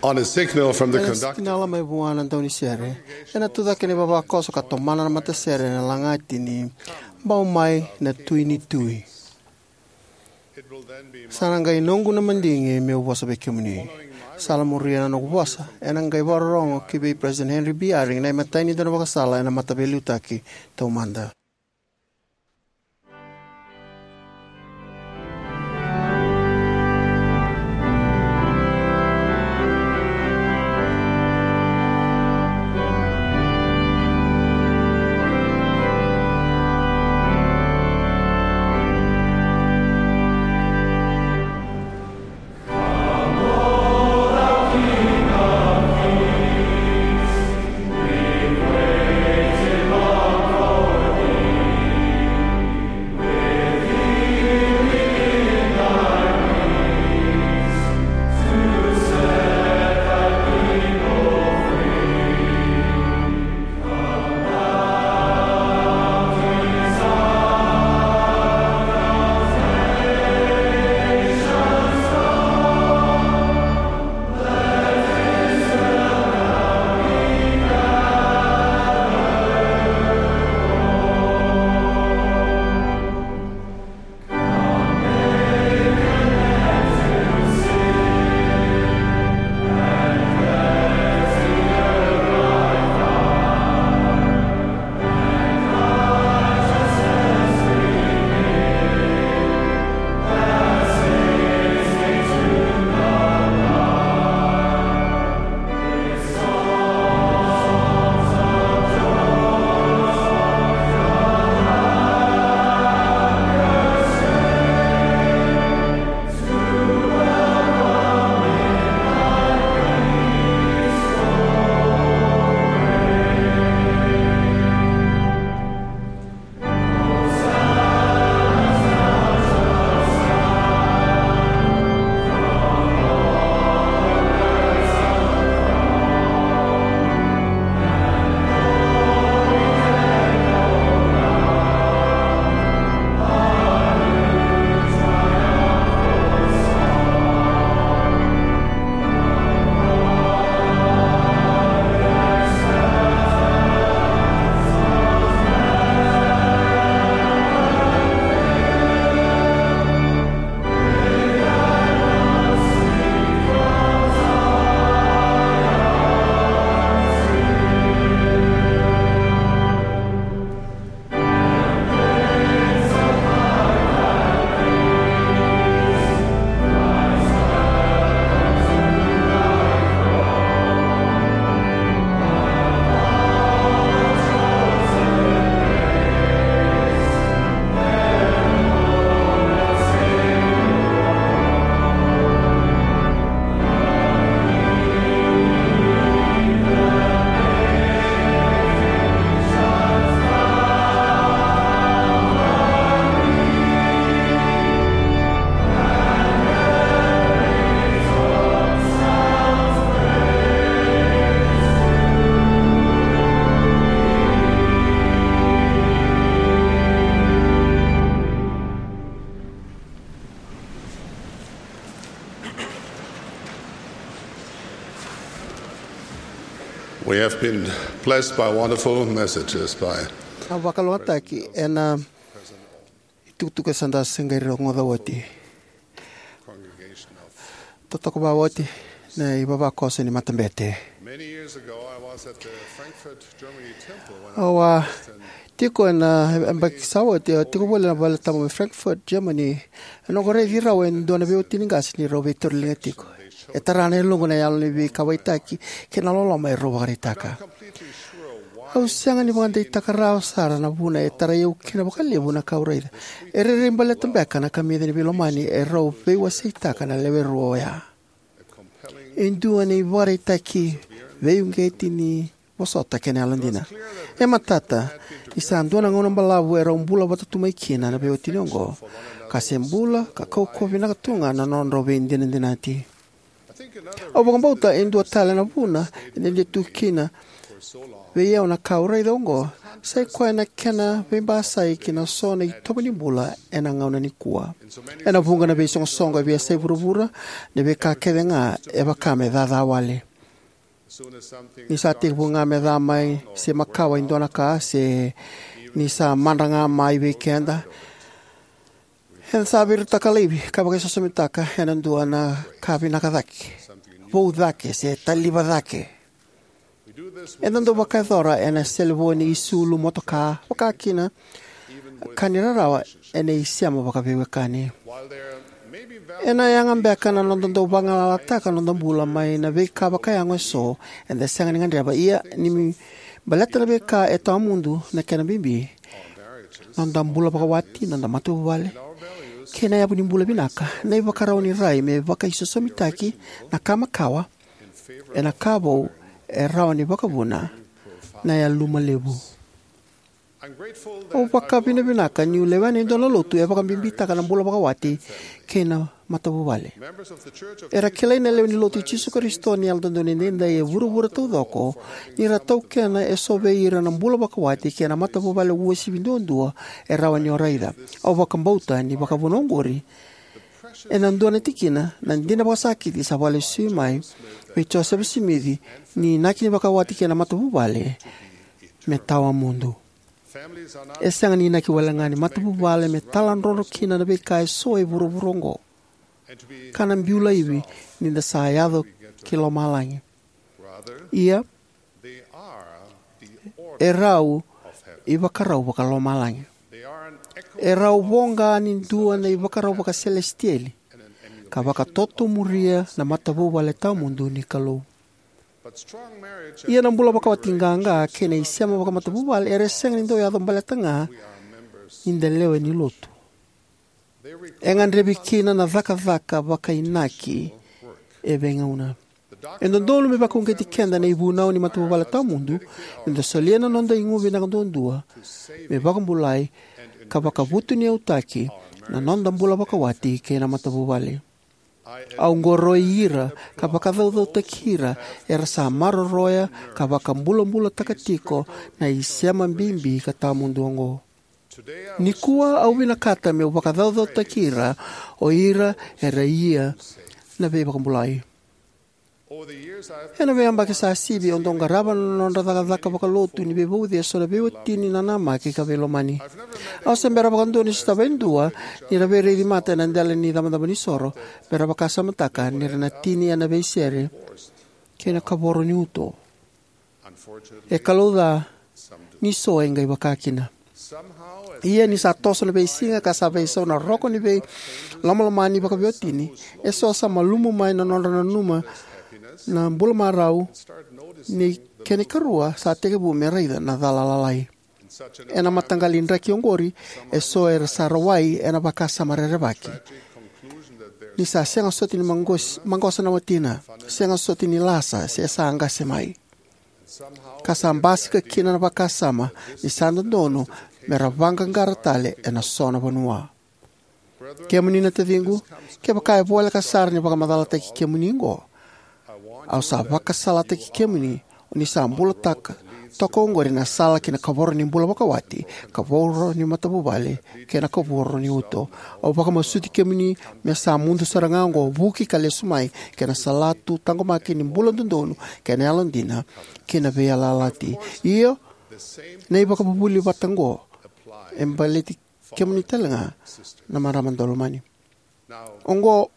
On a signal from the Ena conductor, sikinala mai vua na daunisere, ena tucake na ivavakoso ka tomana na matasere ena lagati ni Bau Mai na Tui ni Tui. Sa na qai noqu na madigi meu vosa vei kemuni. Sa na muria na noqu vosa, ena qai vakarorogo ki vei President Henry B. Eyring na imatai ni dau vakasala ena Mataveiliutaki Taumada. I've been blessed by wonderful messages by a vakalougatataki ena itukutuku e sa da se qai rogoca oti. Totoka vakaoti na ivavakoso ni matabete. Many years ago, I was at the Frankfurt Germany Temple when I Au a tiko ena yabaki sa oti, au tiko voli ena vale tabu mai Frankfurt, Germany. E noqu raici rau e dua na veiwatini qase ni rau veitauriliga tiko. E tara na yaloqu na yalo ni veikauwaitaki kei na loloma e rau vakaraitaka. Au sega ni vakadeitaka rawa sara na vuna e tarai au kina vakalevu na ka au raica. E rairai baleta beka na kamica ni veilomani e rau veiwaseitaka na lewe rua oya. E dua na ivakaraitaki veiuqeti ni vosota kei na yalodina. E matata ni sa dua na gauna balavu e rau bula vata tu mai kina na veiwatini oqo, ka se bula ka kaukauwa vinaka tu ga na nodrau veidinadinati. Au vakabauta e dua tale na vuna e dede tu kina vei au na ka au raica oqo, sai koya na kena veibasai ki na so na itovo ni bula ena gauna nikua. Ena vuqa na veisoqosoqo e veiyasai vuravura, na veika kece ga e vaka me caca wale. Ni sa tekivu ga me ca mai se makawa e dua na ka, se ni sa madra ga mai vei keda, eda sa viritaka laivi ka vakaisosomitaka ena dua na ka vinaka cake, vou cake, se taliva cake. Eda dau vakayacora ena selevoni, isulu, motoka, vaka kina, ka ni rarawa, ena isema vakaveiwekani. Ena yaga beka na noda dau vagalalataka noda bula mai na veika vakayago eso eda sega ni gadreva, ia ni baleta na veika e tawamudu na kena bibi, noda bula vakawati, noda matavuvale, kei na yavu ni bula vinaka, na ivakarau ni rai me vakaisosomitaki na ka makawa ena ka vou e rawa ni vakavuna na yaluma levu. Au vakavinavinaka niu lewena e dua na lotu e vakabibitaka na bula vakawati kei na matavuvale. Era kilai na lewe ni Lotu i Jisu Karisito ni Yalododonu Edaidai e vuravura taucoko ni ra taukena eso vei ira na bula vakawati kei na matavuvale uasivi duadua e rawa ni o raica. Au vakabauta ni vakavuna oqori ena dua na tikina na dina vakasakiti sa vakalesui mai vei Josefa Simici ni inaki ni vakawati kei na matavuvale me tawamudu. E sega ni inaki wale ga ni matavuvale me taladrodro kina na veika eso e vuravura oqo, ka na biu laivi ni da sa yaco ki lomalagi. Ia, e rau ivakarau vakalomalagi. E rau voqa ni dua na ivakarau vakaselesitieli ka vakatotomuria na matavuvale tawamudu ni Kalou. Ia na bula vakawati qaqa kei na isema vakamatavuvale era sega ni dau yaco baleta ga ni da lewe ni lotu. E gadrevi kina na cakacaka vakainaki e veigauna. E dodonu me vakauqeti keda na ivunau ni matavuvale tawamudu, me da solia na noda igu vinaka duadua me vakabulai ka vakavutuniyautaki na noda bula vakawati kei na matavuvale. Au qoroi ira ka vakacaucautaki ira era sa maroroya ka vakabulabulataka tiko na isema bibi ka tawamudu oqo. Nikua au vinakata meu vakacaucautaki ira o ira era ia na veivakabulai. Ena veiyabaki sa sivi au dau qarava na nodra cakacaka vakalotu ni veivauci eso na veiwatini nanamaki ka veilomani. Au se bera vakadua ni sotava e dua ni ra veiraici mata ena dela ni icabocabo ni soro me ra vakasamataka ni ra na tini ena veisere kei na kavoro ni uto. E kalouca ni so e qai vaka kina. Ia ni sa toso na veisiga ka sa veisau na roko ni veilomalomani vakaveiwatini, eso sa malumu mai na nodra nanuma na bula marau, ni kena ikarua sa tekivu me raica na cala lalai. Ena mataqali draki oqori, eso era sa rawai ena vakasama rerevaki ni sa sega soti ni maqos-, maqosa na watina, sega soti ni lasa, se sa qase mai. Ka sa basika kina na vakasama ni sa dodonu me ra vaqaqara tale ena so na vanua. Kemuni na taciqu, kevaka e voleka sara ni vakamacalataki kemuni oqo, au sa vakasalataki kemuni ni sa bulataka Toka oqori na sala ki na kavoro ni bula vakawati, kavoro ni matavuvale, kei na kavoro ni uto. Au vakamasuti kemuni me sa mudu sara ga oqo, vuki ka lesu mai ki na salatu taqomaki ni bula dodonu kei na yalodina ki na veiyalayalati. Io, na ivakavuvuli vata oqo e baleti kemuni talega, na marama daulomani. Oqo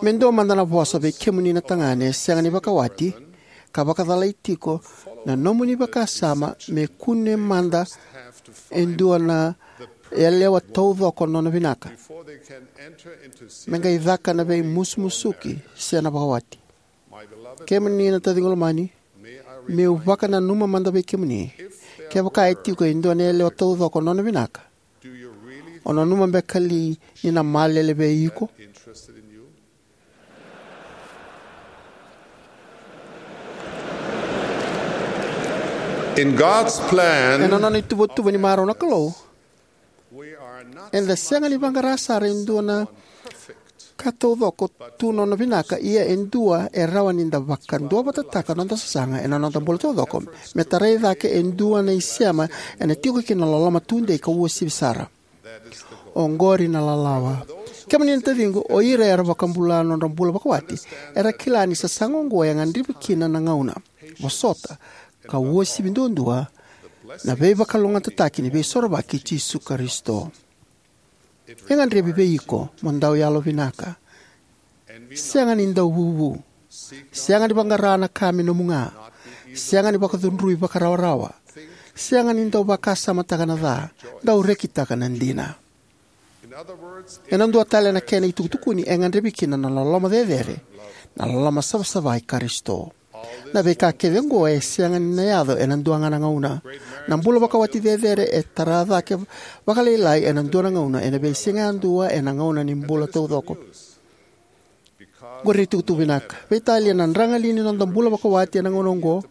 me dua mada na vosa vei kemuni na tagane sega ni vakawati ka vakacalai tiko na nomuni vakasama me kune mada e dua na yalewa taucoko nona vinaka me qai caka na veimusumusuki se na vakawati. Kemuni na taciqu lomani, meu vakananuma mada vei kemuni. Kevaka e tiko e dua na yalewa taucoko nona vinaka, o nanuma beka li ni na malele vei iko? In God's plan, ena nona ituvatuva ni marau na Kalou, eda sega ni vaqara sara e dua na ka taucoko tu nona vinaka, ia e dua e rawa ni da vakaduavatataka noda sasaga ena noda bula taucoko me tarai cake e dua na isema ena tiko kina na loloma tudei ka uasivi sara. Oqori na lalawa. Kemuni na taciqu, o ira era vakabula nodra bula vakawati era kila ni sasaga oqo e gadrevi kina na gauna, vosota, ka uasivi duadua na veivakalougatataki ni Veisorovaki i Jisu Karisito. E gadrevi vei iko mo dau yalovinaka, sega ni dau vuvu, sega ni vaqara na ka me nomu ga, sega ni vakacudrui vakarawarawa, sega ni dau vakasamataka na ca, dau rekitaka na dina. Ena dua tale na kena itukutukuni, e gadrevi kina na loloma cecere, na loloma savasava i Karisito. Na veika kece oqo e sega ni na yaco ena dua ga na gauna. Na bula vakawati cecere e tara cake vakalailai ena dua na gauna, ena veisiga yadua, ena gauna ni bula taucoko. Qori na itukutuku vinaka. Veitalia na dragali ni noda bula vakawati ena gauna oqo.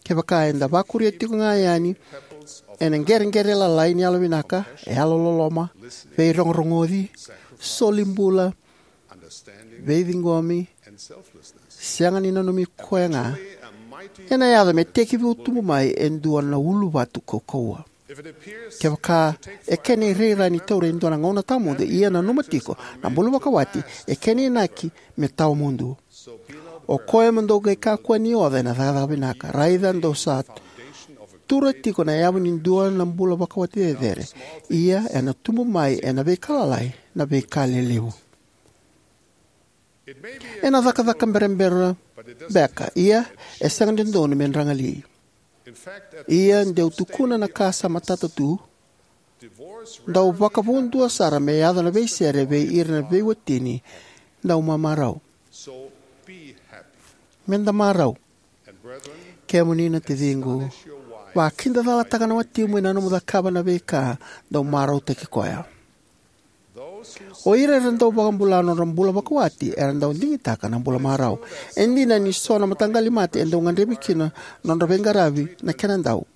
Kevaka eda vakuria tiko ga yani ena qereqere lalai ni yalovinaka, yalololoma, veirogorogoci, solibula, veiciqomi, sega ni nanumi koya ga, ena yaco me tekivu tubu mai e dua na uluvatu kaukauwa. Kevaka e kena irairai ni taura e dua na gauna tawamudu, ia nanuma tiko, na bula vakawati e kena inaki me tawamudu. O koya mo dou qai kakua ni oca ena cakacaka vinaka. Raica dou sa tura tiko na yavu ni dua na bula vakawati cecere, ia ena tubu mai ena veika lalai na veika lelevu. Ena cakacaka berabera beka, ia e sega ni dodonu me dragali. Ia deu tukuna na ka sa matata tu, dau vakavudua sara me yaco na veisere vei ira na veiwatini. Dau mamarau. Meda marau. Kemuni na taciqu, vakidacalataka na watimu ena nomu cakava na veika, dau marautaki koya. O ira era dau vakabula nodra bula vakawati era dau digitaka na bula marau. E dina ni so na mataqali mate e dau gadrevi kina nodra veiqaravi na kena dau.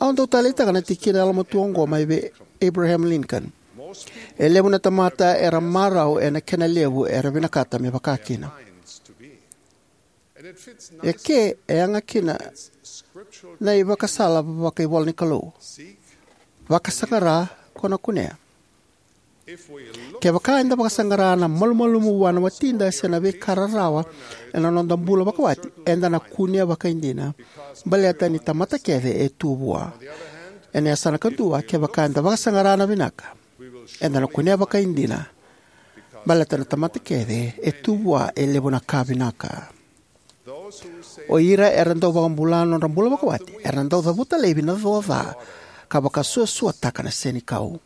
Au dau taleitaka na tikina yalomatua oqo mai vei Abraham Lincoln: "E levu na tamata era marau ena kena levu era vinakata me vaka kina." E ke e yaga kina na ivakasala vakaivola ni Kalou: "Vakasaqara, ko na kunea." Kevaka eda vakasaqara na malumalumu vua na watida se na veika rarawa ena noda bula vakawati, eda na kunea vakaidina, baleta ni tamata kece e tu vua. Ena yasana kadua, kevaka eda vakasaqara na vinaka, eda na kunea vakaidina, baleta na tamata kece e tu vua e levu na ka vinaka. O ira era dau vakabula nodra bula vakawati era dau cavuta laivi na co ca ka vakasuasuataka na senikau.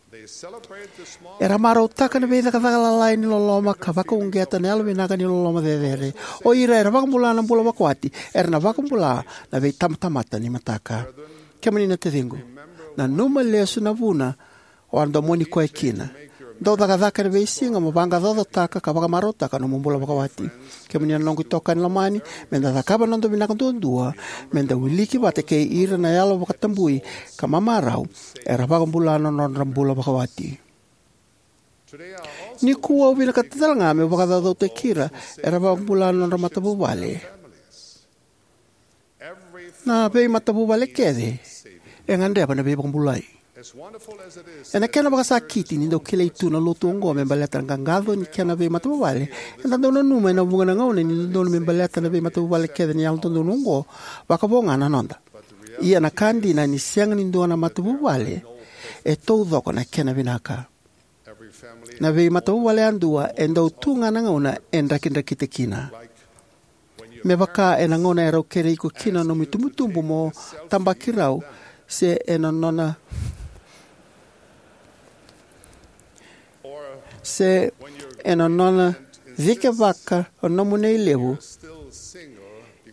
Era marautaka na veicakacaka lalai ni loloma ka vakauqeta na yalovinaka ni loloma cecere. O ira era vakabula na bula vakawati era na vakabula na veitabatamata ni mataka. Kemuni na taciqu, nanuma lesu na vuna o a domoni koya kina. Dau cakacaka ena veisiga mo vaqaqacotaka ka vakamarautaka nomu bula vakawati. Kemuni na noqu itokani lomani, meda cakava na noda vinaka duadua meda wiliki vata kei ira na yalo vakatabui ka mamarau era vakabula na nodra bula vakawati. Nikua au vinakata talega meu vakacaucautaki ira era vakabula na nodra matavuvale. Na veimatavuvale kece e gadreva na veivakabulai. Ena kena vakasakiti ni dau kilai tu na lotu oqo me baleta na qaqaco ni kena veimatavuvale, eda dau nanuma ena vuqa na gauna ni dodonu me baleta na veimatavuvale kece ni yalododonu oqo, vakavo ga na noda. Ia na ka dina, ni sega ni dua na matavuvale e taucoko na kena vinaka. Na veimatavuvale yadua e dau tu ga na gauna e drakidrakita kina. Me vaka ena gauna erau kere iko kina nomu itubutubu mo tabaki rau, se ena nona se ena nona cikevaka o nomu nei levu,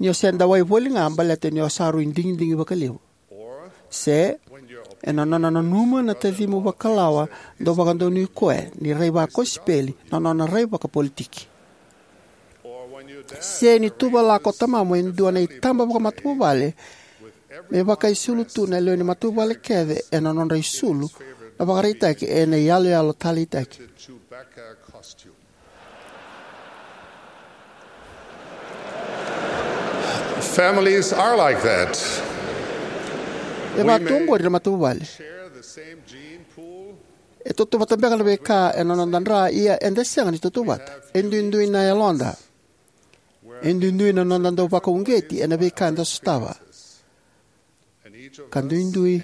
ni o se dawai voli ga baleta ni o sa rui digidigi vakalevu. Se ena nona nanuma na tacimu vakalawa dau vakadonui koya ni rai vakosipeli na nona rai vakapolitiki. Se ni tuvalaka o tamamu e dua na itaba vakamatavuvale, me vakaisulu tu na lewe ni matavuvale kece ena nodra isulu na vakaraitaki ena iyaloyalo taleitaki. Families are like that. E vaka tu oqori na matavuvale. E tautauvata beka na veika ena noda dra, ia eda sega ni tautauvata. E duidui na yaloda. E duidui na noda dau vakauqeti ena veika eda sotava. Ka duidui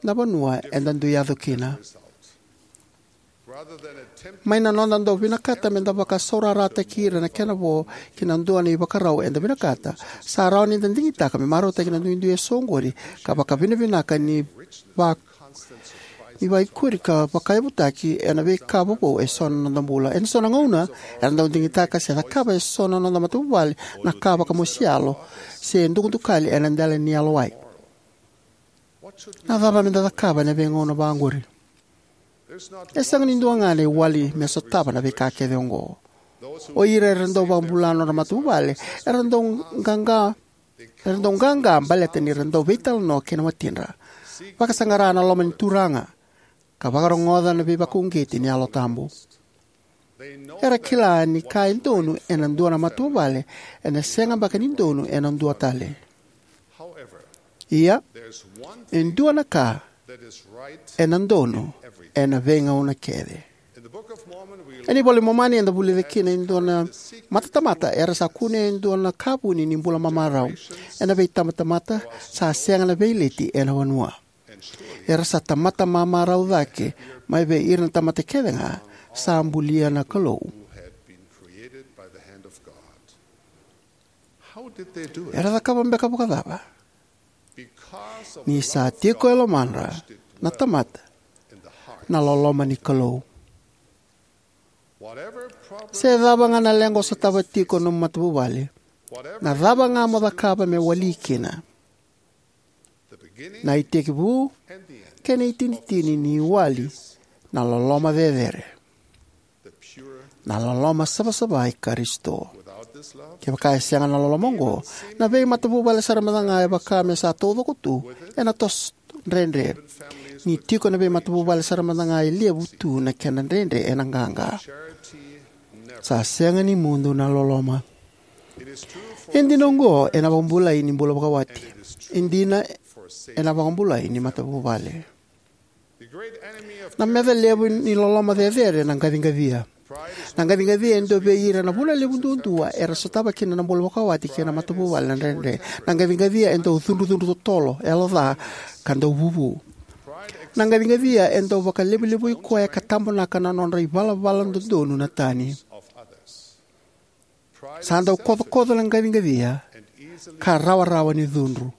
na vanua eda dui yaco kina. Mai na noda dau vinakata meda vakasaurarataki ira na kena vo ki na dua na ivakarau eda vinakata, sa rawa ni da digitaka me marautaki na duidui eso oqori ka vakavinavinaka ni va ni vaikuri ka vakayavutaki ena veika vovou eso na noda bula. Ena so na gauna, era dau digitaka se cakava eso na noda matavuvale na ka vakamosi yalo se dukadukali ena dela ni yalowai. Na cava meda cakava ena veigauna vaqori? E sega ni dua ga na iwali me sotava na veika kece oqo. O ira era dau vakabula nodra matavuvale era dau qaqa era dau qaqa baleta ni ra dau veitalanoa kei na watidra, vakasaqara na loma ni Turaga, ka vakarogoca na veivakauqeti ni Yalo Tabu. Era kila ni ka e donu ena dua na matavuvale ena sega beka ni donu ena dua tale. Ia, e dua na ka ena donu ena veigauna kece. Ena iVola i Momani eda vulica kina e dua na matatamata era sa kunea e dua na ka vuni ni bula mamarau. Ena veitabatamata sa sega na veileti ena vanua. Era sa tamata mamarau cake mai vei ira na tamata kece ga sa bulia na Kalou. Era cakava beka vakacava? Ni sa tiko e lomadra na tamata na loloma ni Kalou. Se cava ga na leqa o sotava tiko nomu matavuvale, na cava ga mo cakava me wali kina, na itekivu kei na itinitini ni wali na loloma cecere, na loloma savasava i Karisito. Kevaka e sega na loloma oqo, na veimatavuvale sara mada ga e vaka me sa taucoko tu ena toso dredre. Ni tiko na veimatavuvale sara mada ga e levu tu na kena dredre ena qaqa. Sa sega ni mudu na loloma. E dina oqo ena vakabulai ni bula vakawati. E dina ena vakabulai ni matavuvale. Na meca levu ni loloma cecere na qaciqacia. Na qaciqacia e dua vei ira na vuna levu duadua era sotava kina na bula vakawati kei na matavuvale na dredre. Na qaciqacia e dau cudrucudru totolo, yaloca, ka dau vuvu. Na qaciqacia e dau vakalevulevui koya ka tabonaka na nodra ivalavala dodonu na tani. Sa dau kocokoco na qaciqacia ka rawarawa ni cudru.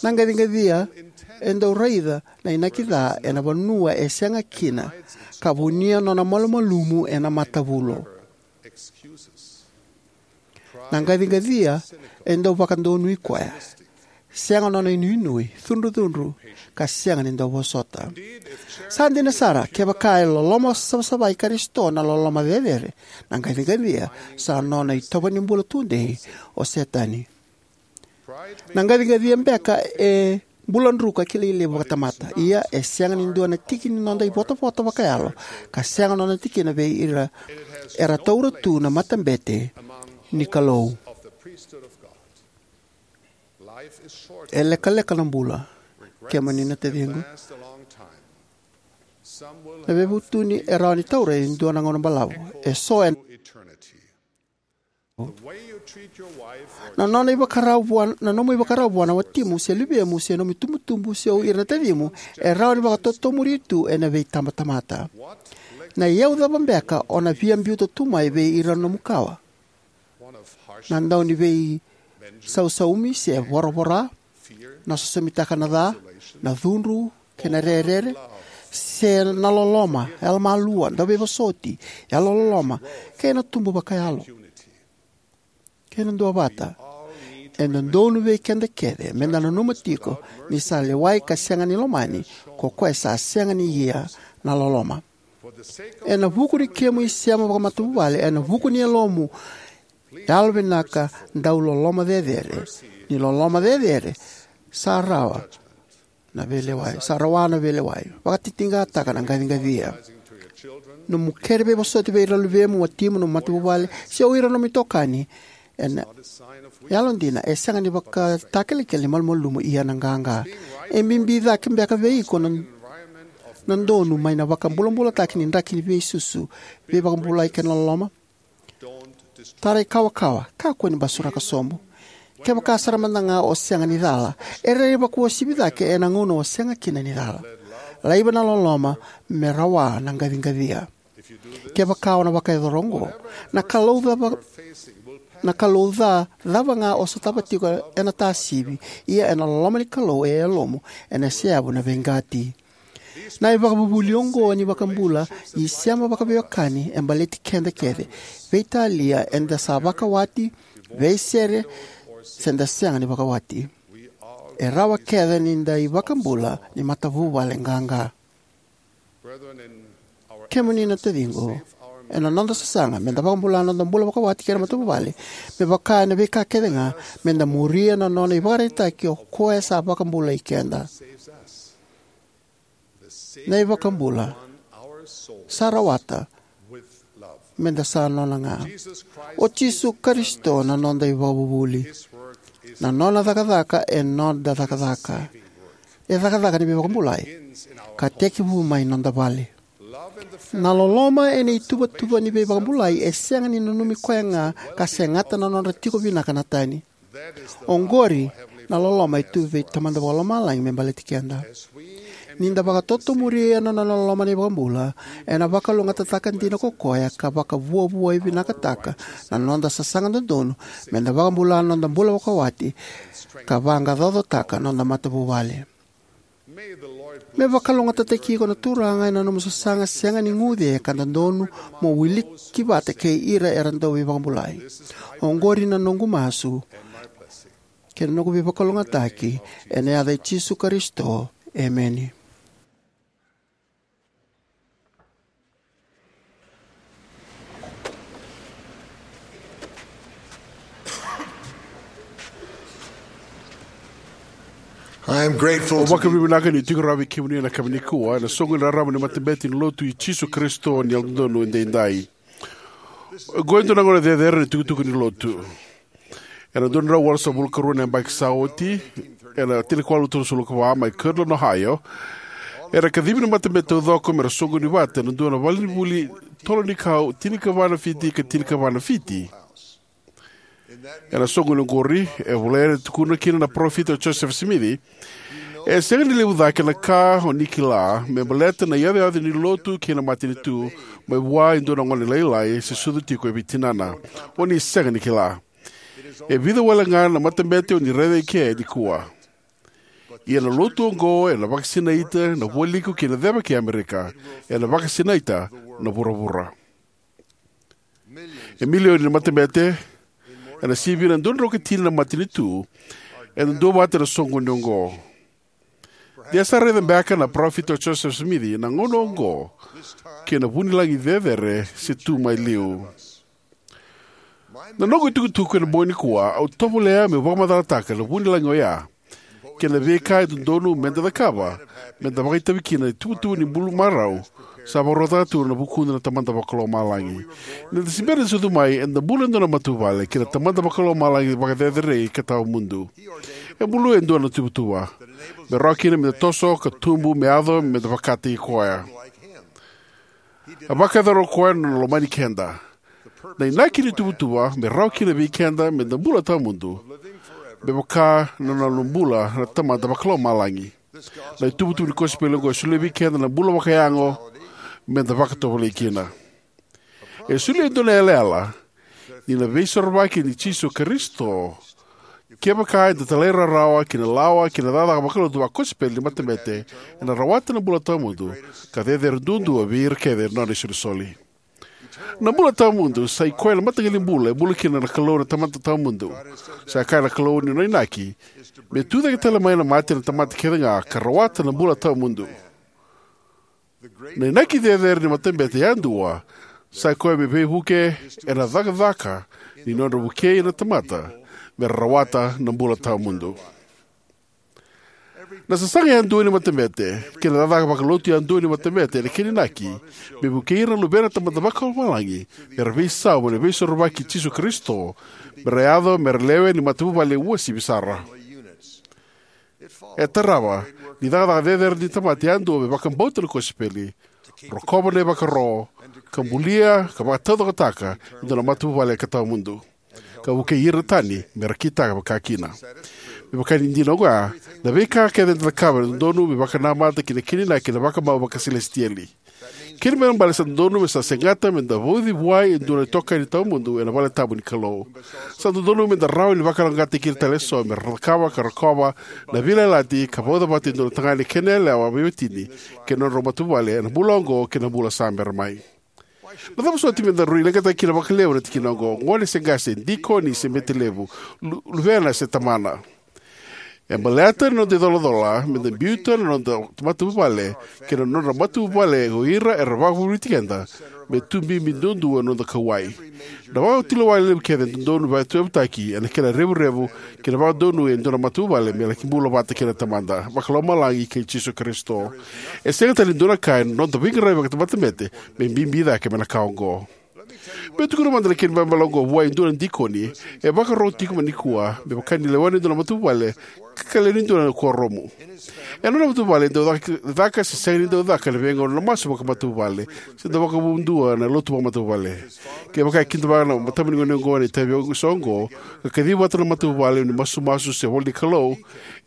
Na qaciqacia e dau raica na inaki ca ena vanua e sega kina ka vunia nona malumalumu ena matavulo. Na qaciqacia e dau vakadonui koya, sega nona inuinui, cudrucudru, ka sega ni dau vosota. Sa dina sara, kevaka e loloma savasava i Karisito na loloma cecere, na qaciqacia sa nona itovo ni bula tudei o Setani. Na qaciqacia beka e bula druka kilai levu vakatamata. Ia, e sega ni dua na tiki ni noda ivotavota vakayalo ka sega nona tikina vei ira era taura tu na matabete ni Kalou. E lekaleka na bula, kemuni na taciqu. Na veivutuni e rawa ni taura e dua na gauna balavu. E so e na nona ivakarau vua, na nomu ivakarau vua na watimu se luvemu se nomu itubutubu se o ira na tacimu, e rawa ni vakatotomuri tu ena veitabatamata. Na iyau cava beka o na via biuta tu mai vei ira na nomu kawa? Na dau ni veisausaumi se voravora, na sosomitaka na ca, na cudru kei na rerere, se na loloma, yalomalua, dauveivosoti, yalololoma, kei na tubu vakayalo, kei na duavata. E dodonu vei keda kece meda nanuma tiko ni sa lewai ka sega ni lomani ko koya sa sega ni ia na loloma. Ena vuku ni kemu isema vakamatavuvale, ena vuku ni yalomu yalovinaka, dau loloma cecere, ni loloma cecere sa rawa na veilewai, sa rawa na veilewai. Vakatitiqataka na qaciqacia. Nomu kere veivosoti vei ira na luvemu, watimu, nomu matavuvale, se o ira na nomu itokani, ena yalodina e sega ni vakatakilakila ni malumalumu ia na qaqa. E bibi cake beka vei iko na, na donu mai na vakabulabulataki ni draki ni veisusu, veivakabulai kei na loloma? Tarai kawakawa, kakua ni basuraka sobu. Kevaka sara mada ga o sega ni cala, e rairai vakauasivi cake ena gauna o sega kina ni cala. Laiva na loloma me rawa na qaciqacia. Kevaka o na vakayacora oqo, na Kalou cava, na Kalou ca cava ga o sotava tiko ena tasivi, ia ena loloma ni Kalou e yalomu ena seyavu na veiqati. Na ivakavuvuli oqo ni vakabula isema vakaveiwekani e baleti keda kece, veitalia eda sa vakawati, veisere, se da sega ni vakawati. E rawa kece ni da ivakabula ni matavuvale qaqa. Kemuni na taciqu, ena noda sasaga meda vakabula na noda bula vakawati kei na matavuvale, me vaka ena veika kece ga, meda muria na nona ivakaraitaki o koya sa vakabulai keda. Na iVakabula sa rawata meda sa nona ga. O Jisu Karisito na noda ivakavuvuli. Na nona cakacaka e noda cakacaka. E cakacaka ni veivakabulai ka tekivu mai noda vale. Na loloma ena ituvatuva ni veivakabulai e sega ni nanumi koya ga ka segata na nodra tiko vinaka na tani. Oqori na loloma e tu vei Tamada Vakalomalagi me baleti keda. Ni da vakatotomuria na nona loloma na iVakabula, ena vakalougatataka dina ko koya ka vakavuavuai vinakataka na noda sasaga dodonu meda vakabula na noda bula vakawati ka vaqaqacotaka na noda matavuvale. Me vakalougatataki iko na Turaga ena nomu sasaga sega ni guce ka dodonu mo wiliki vata kei ira era dau veivakabulai. Oqori na noqu masu kei na noqu veivakalougatataki ena yaca i Jisu Karisito. Emeni. I am grateful Au to be vakavinavinaka ni tiko rawa vei kemuni ena yakavi nikua ena soqoni raraba ni matabete ni Lotu i Jisu Karisito ni Yalododonu Edaidai. Oqo e dua na gauna cecere ni tukutuku ni Lotu. Ena dua na drau walusagavulu ka rua na yabaki sa oti, ena tinikawalu tolusagavulu ka va mai Kirtland, Ohio, era kacivi na matabete taucoko mera soqoni vata ena dua na valenivuli tolo ni kau, tinikava na fiti ka tinikava na fiti. Ena soqoni oqori, e volai ena tukuna kina na parofita o Josefa Simici, e sega ni levu cake na ka o ni kila me baleta na iyacoyaco ni Lotu kei na matanitu mai vua e dua na gone lailai se sucu tiko e veitinana. O ni sega ni kila. E vica wale ga na matabete o ni raica eke nikua. Ia na Lotu oqo ena vakasinaita na vualiku kei na ceva kei Amerika. Ena vakasinaita na vuravura. E milioni na matabete ena sivia na dua na drau ka tini na matanitu ena duavata na soqoni oqo. De a sa raica beka na parofita o Josefa Simici na gauna oqo kei na vunilagi cecere se tu mai liu. Na noqu itukutuku ena bogi nikua, au tovolea meu vakamacalataka na vunilagi oya kei na veika e dodonu meda cakava meda vakaitavi kina na ituvatuva ni bula marau sa vakarautaka tu na vukuda na Tamada Vakalomalagi. Ni da se bera ni sucu mai, eda bula e dua na matavuvale kei na Tamada Vakalomalagi vakacerecerei ka tawamudu. E buluya e dua na tuvatuva me rawa kina meda toso ka tubu me yaco meda vakataki koya. A vakayacora o koya na nona lomani keda. Na inaki ni tuvatuva me rawa kina vei keda meda bula tawamudu, me vaka na nona bula na Tamada Vakalomalagi. Na ituvatuva ni kosipeli oqo e solia vei keda na bula vakayago meda vakatovolei kina. E solia e dua na yalayala ni na Veisorovaki i Jisu Karisito. Kevaka eda talairawarawa ki na lawa kei na cakacaka vakalotu vakosipeli ni matabete, ena rawata na bula tawamudu ka cecere duadua vei ira kece na nona isolisoli. Na bula tawamudu sa i koya na mataqali bula e bula kina na Kalou na Tamada Tawamudu. Sa kaya na Kalou ni nona inaki me tucake tale mai na mate na tamata kece ga ka rawata na bula tawamudu. Na inaki cecere ni matabete yadua sa i koya me veivuke ena cakacaka ni nodra vukei na tamata me ra rawata na bula tawamudu. Na sasaga yadua ni matabete kei na cakacaka vakalotu yadua ni matabete ena kena inaki me vukei ira na luvena na Tamada Vakalomalagi me ra veisau mai na Veisorovaki i Jisu Karisito, me ra yaco me ra lewe ni matavuvale uasivi sara. E tarava ni cakacaka cecere ni tamata yadua me vakabauta na kosipeli, rokova na ivakaro, ka bulia ka vakataucokotaka e dua na matavuvale ka tawamudu, ka vukei ira na tani me ra kitaka vakakina. Me vaka ni dina oya, na veika kece eda cakava e dodonu me vakanamata ki na kena inaki na vakamau vakaselesitieli. Kena ibalebale sa dodonu me sa segata meda vauci vua e dua na itokani tawamudu ena valetabu ni Kalou. Sa dodonu meda rawa ni vakayaloqaqataki ira tale eso me ra cakava ka rokova na veiyalayalati ka vauca vata e dua na tagane kei na yalewa veiwatini kei na nodrau matavuvale ena bula oqo kei na bula sa bera mai. Na cava soti meda rui leqataka kina vakalevu na tikina oqo, gone se qase, dikoni se bete levu, lu- luvena se tamana? E baleta na noda icolacola meda biuta na noda matavuvale kei na nodra matavuvale o ira era vakavolivoliti keda me tu bibi duadua na noda kauwai. Na vakatulewa levu kece e dodonu me vakatuyavutaki ena kena revurevu kei na vakadonui e dua na matavuvale me laki bula vata kei na Tamada Vakalomalagi kei Jisu Karisito. E sega tale ni dua na ka ena noda veiqaravi vakamatabete me bibi cake mai na ka oqo. Meu tukuna mada na kena ibalebale oqo vua e dua na dikoni e vakarorogo tiko mai nikua me vaka ni lewena e dua na matavuvale ka lewe ni dua na kuoramu. Ena nona matavuvale e dau caka, caka se sega ni dau caka ena veigauna na masu vakamatavuvale se dau vakavudua na lotu vakamatavuvale. Kevaka e kidavaka na matavuvale ni gone oqo ena itavi eso oqo ka kacivi vata na matavuvale ni masumasu se ivolanikalou,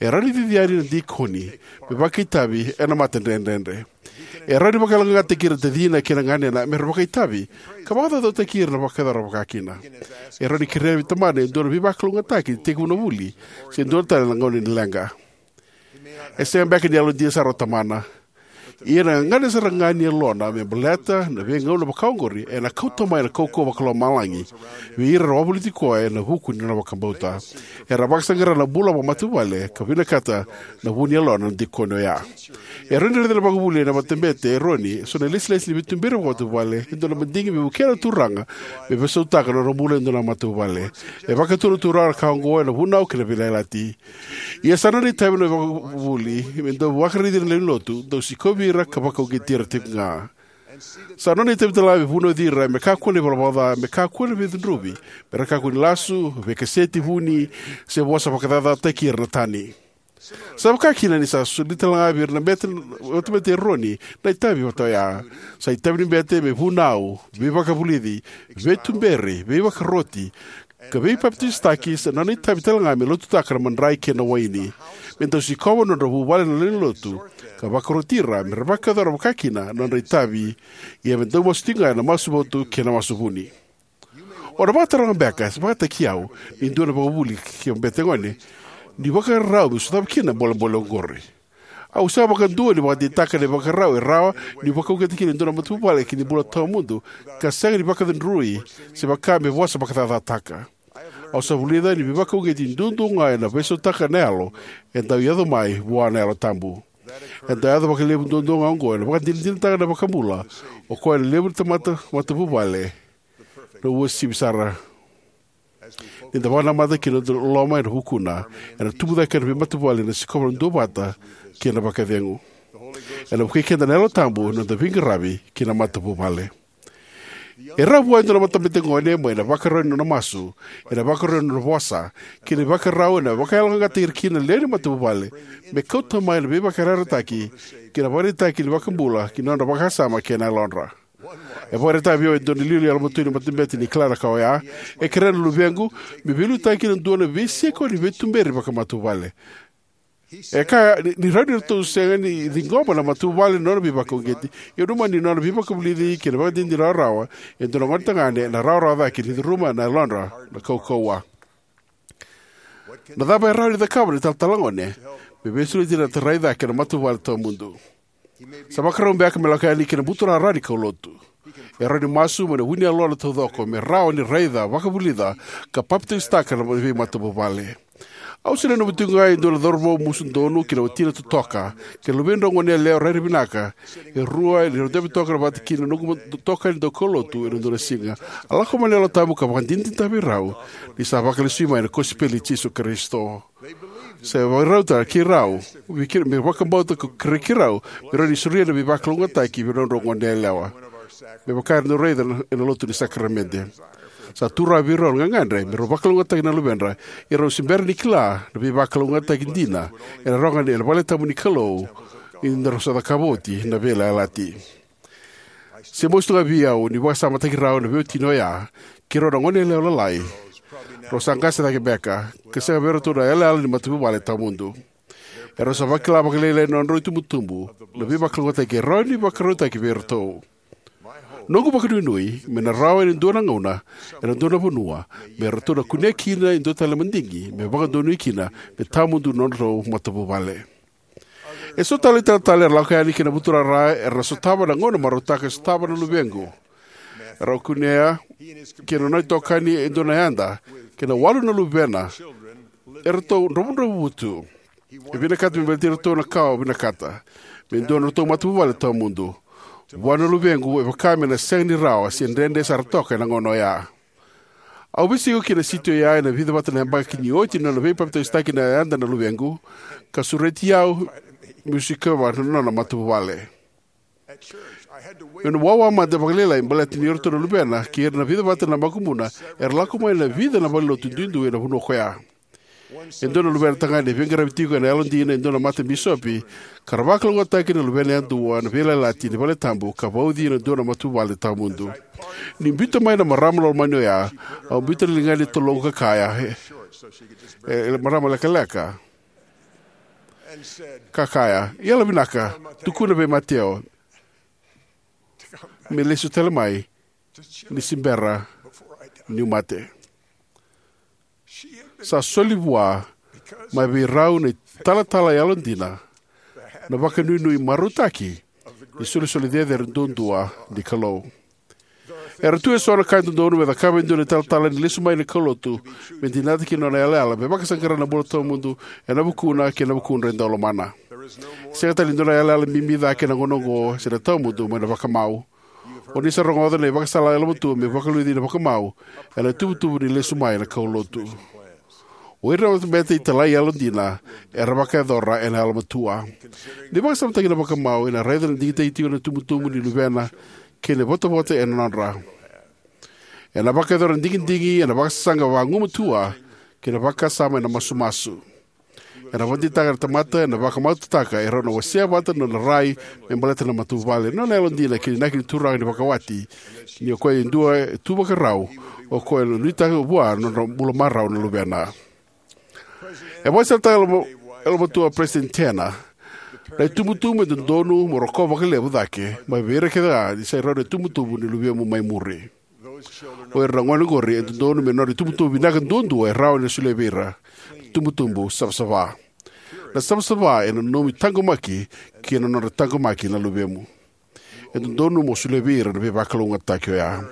e rawa ni cici yani na dikoni me vakaitavi ena matadredredre. E rawa ni vakayaloqaqataki ira na tacina kei na ganena me ra vakaitavi ka vakacaucautaki ira na vakayacora vakakina. E rawa ni kerea vei tamana e dua na veivakalougatataki ni tekivu na vuli se dua tale na gauna ni leqa. E sega beka ni yalodina sara o tamana, ia na gagadre sara ga ni yalona me baleta na veigauna vakaoqori ena kauta mai na kaukauwa vakalomalagi vei ira era wavoliti koya ena vuku ni nona vakabauta. Era vakasaqara na bula vakamatavuvale ka vinakata na vu ni yalona na dikoni oya. E rawa ni raica na vakavuvuli ena matabete e Eroni eso na ilesilesi ni veituberi vakamatavuvale, e dua na madigi me vukea na turaga me veisautaka na nodra bula e dua na matavuvale. E vakatura na turaga na ka oqo ena vunau kei na veiyalayalati. Ia sa nona itavi na vakavuvuli me dau vakaraici ira na lewe ni lotu, dau sikovi ira ka vakauqeti ira tiko ga. Sa nona itavi talega me vunauci ira me kakua na ivalavala ca, me kakua na veicudruvi, me ra kakua ni lasu, veikaseti vuni, se vosa vakacacataki ira na tani. Sa vaka kina ni sa soli talega vei ira na bete, matabete e Eroni na itavi vata oya. Sa itavi ni bete me vunau, veivakavulici, veituberi, veivakaroti, ka veipapitaisotaki. Sa nona itavi talega me lotutaka na madrai kei na waini, me dau sikova na nodra vuvale na lewe ni lotu, ka vakaroti ira me ra vakayacora vakakina na nodra itavi. Ia me dau masu tiko ga ena masu votu kei na masu vuni. O na vakataroga beka, se vakataki au, ni dua na vakavuvuli kei na bete gone, ni vakarau me sotava kina na bolebole oqori. Au sega vakadua ni vakadeitaka na ivakarau e rawa ni vakauqeta kina e dua na matavuvale ki na bula tawamudu ka sega ni vakacudrui se vaka me vosa vakacacataka. Au sa vulica ni veivakauqeti duadua ga ena veisautaka na yalo e dau yaco mai vua na Yalo Tabu. E dau yaco vakalevu duadua ga oqo ena vakadinadinataka na iVakabula, o koya na levu ni tamata matavuvale, na uasivi sara. Ni da vakanamata ki na noda loloma ena vukuna, ena tubu cake na veimatavuvale, ena sikova na duavata kei na vakacegu. Ena vukei keda na Yalo Tabu ena noda veiqaravi ki na matavuvale. E rawa vua e dua na matabete gone mai na ivakarau ni nona masu, ena ivakarau ni nona vosa, kei na ivakarau ena vakayaloqaqataki ira kina na lewe ni matavuvale me kauta mai na veivakayarayarataki kei na ivakaraitaki ni iVakabula ki na nodra vakasama kei na yalodra. E vakaraitaka vei au e dua na iliuliu yalomatua ni matabete ni kila na ka oya. E kerea na luvequ me veiliutaki ena dua na veisiko ni veituberi vakamatavuvale. E kaya ni, ni rawa ni ratou sega ni ciqoma na matavuvale na nona veivakauqeti, ia nanuma ni nona veivakavulici kei na ivakadinadina rawarawa e dua na gonetagane ena rawarawa cake ni curuma na yalodra na kaukauwa. Na cava e rawa ni cakava na italatala gone me veisureti ira na tarai cake na matavuvale tawamudu? Sa vakarau beka me lako yani ki na buturara ni kaulotu. E rawa ni masu mai na vu ni yalona taucoko me rawa ni raica, vakavulica, ka papitaisotaka na veimatavuvale. Au se nanuma tiko ga e dua na cauravou musu donu kei na watina totoka, kei na luvedrau goneyalewa rairai vinaka, e rua ni rau dabe toka vata kei na noqu itokani daukaulotu ena dua na siga. A lako mai na Yalo Tabu ka vakadinadinataka vei rau ni sa vakalesui mai na kosipeli i Jisu Karisito. Sa vakarauta kei rau vei kei, me vakabauta ko kere kei rau me rawa ni solia na veivakalougatataki vei nodrau goneyalewa, me vaka era dau raica ena lotu ni sakaramede. Sa tu rawa vei rau na gagadre me rau vakalougatataki na luvedra, ia rau se bera ni kila na veivakalougatataki dina ena rawa ga ena vale tabu ni Kalou ni da rau sa cakava oti na veiyalayalati. Se mosi tu ga vei au ni vakasamataki rau na veiwatini oya, kei rau na goneyalewa lalai, rau sa qase cake beka, ka sega vei iratou na yalayala ni matavuvale tawamudu. Erau sa vakila vakalailai na nodrau itubutubu na veivakalougatataki e rawa ni vakarautaki vei iratou. Noqu vakanuinui me na rawa ena dua na gauna, ena dua na vanua, me ratou na kunea kina e dua tale na madigi me vakadonui kina me tawamudu na nodrau matavuvale. E so tale na italatala era lako yani ki na buturara era na sotava na gauna marautaka e sotava na luvequ. Erau kunea kei na nona itokani e dua na yada, kei na walu na luvena, eratou dravudravua tu. E vinakata me baleti iratou na ka au vinakata, me dua na nodratou matavuvale tawamudu. Vua na luvequ e vaka me na sega ni rawa se dredre sara toka ena gauna oya. Au veisiko ki na siti oya ena vica vata na yabaki ni oti na nona veipapitaisotaki na yada na luvequ, ka sureti au meu sikova na nona matavuvale. Meu na wawa mada vakalailai baleta ni o iratou na luvena kei ira na vica vata na makubuna era lako mai na vica na valenilotu duidui ena vanua koya. E dua na luvena tagane e veiqaravi tiko ena yalodina e dua na matabisopi, ka ra vakalougatataki na luvena yadua na veiyalayalati ni valetabu ka vauci ena dua na matavuvale tawamudu. Ni biuta mai na marama lomani oya, au biuta na ligana ni toloqu ka kaya, e, e, marama lekaleka, ka kaya, "Yalovinaka, tukuna vei Mateo me lesu tale mai ni se bera niu mate." Sa soli vua mai vei rau na italatala yalodina na vakanuinui marautaki ni solisoli cecere duadua ni Kalou. Era tu eso na ka e dodonu me cakava e dua na italatala ni lesu mai na kaulotu me dinata kina na nona yalayala me vakasaqara na bula tawamudu ena vukuna kei na vukudra e dau lomana. Sega tale ni dua na yalayala bibi cake ena gauna oqo se na tawamudu mai na vakamau. O ni sa rogoca na ivakasala yalomatua me vakaliuci na vakamau ena itubutubu ni lesu mai na kaulotu. O ira na matabete italai yalodina era vakayacora ena yalomatua. Ni vakasamataki na vakamau, ena raica na digitaki tiko na itubutubu ni luvena kei na ivotavota ena nodra. Ena vakayacora na digidigi ena vakasasaga vagumatua kei na vakasama ena masumasu. Ena vakadeitaka na tamata ena vakamautaka e rau na wasea vata na nona rai me baleta na matavuvale, na nona yalodina kei na inaki ni Turaga ni vakawati, ni o koya e dua e tu vakarau, o koya e nuitaka vua na nodra bula marau na luvena. E vakasalataka e yalomatua o Peresitedi Tanner, na itubutubu e dodonu mo rokova vakalevu cake mai vei ira kece ga ni sai rau na itubutubu ni luvemu mai muri. O ira na gone oqori e dodonu me nodra itubutubu vinaka duadua e rawa ni solia vei ira, na itubutubu savasava. Na savasava ena nomu itaqomaki kei na nodra taqomaki na luvemu. E dodonu mo solia vei ira na veivakalougatataki oya.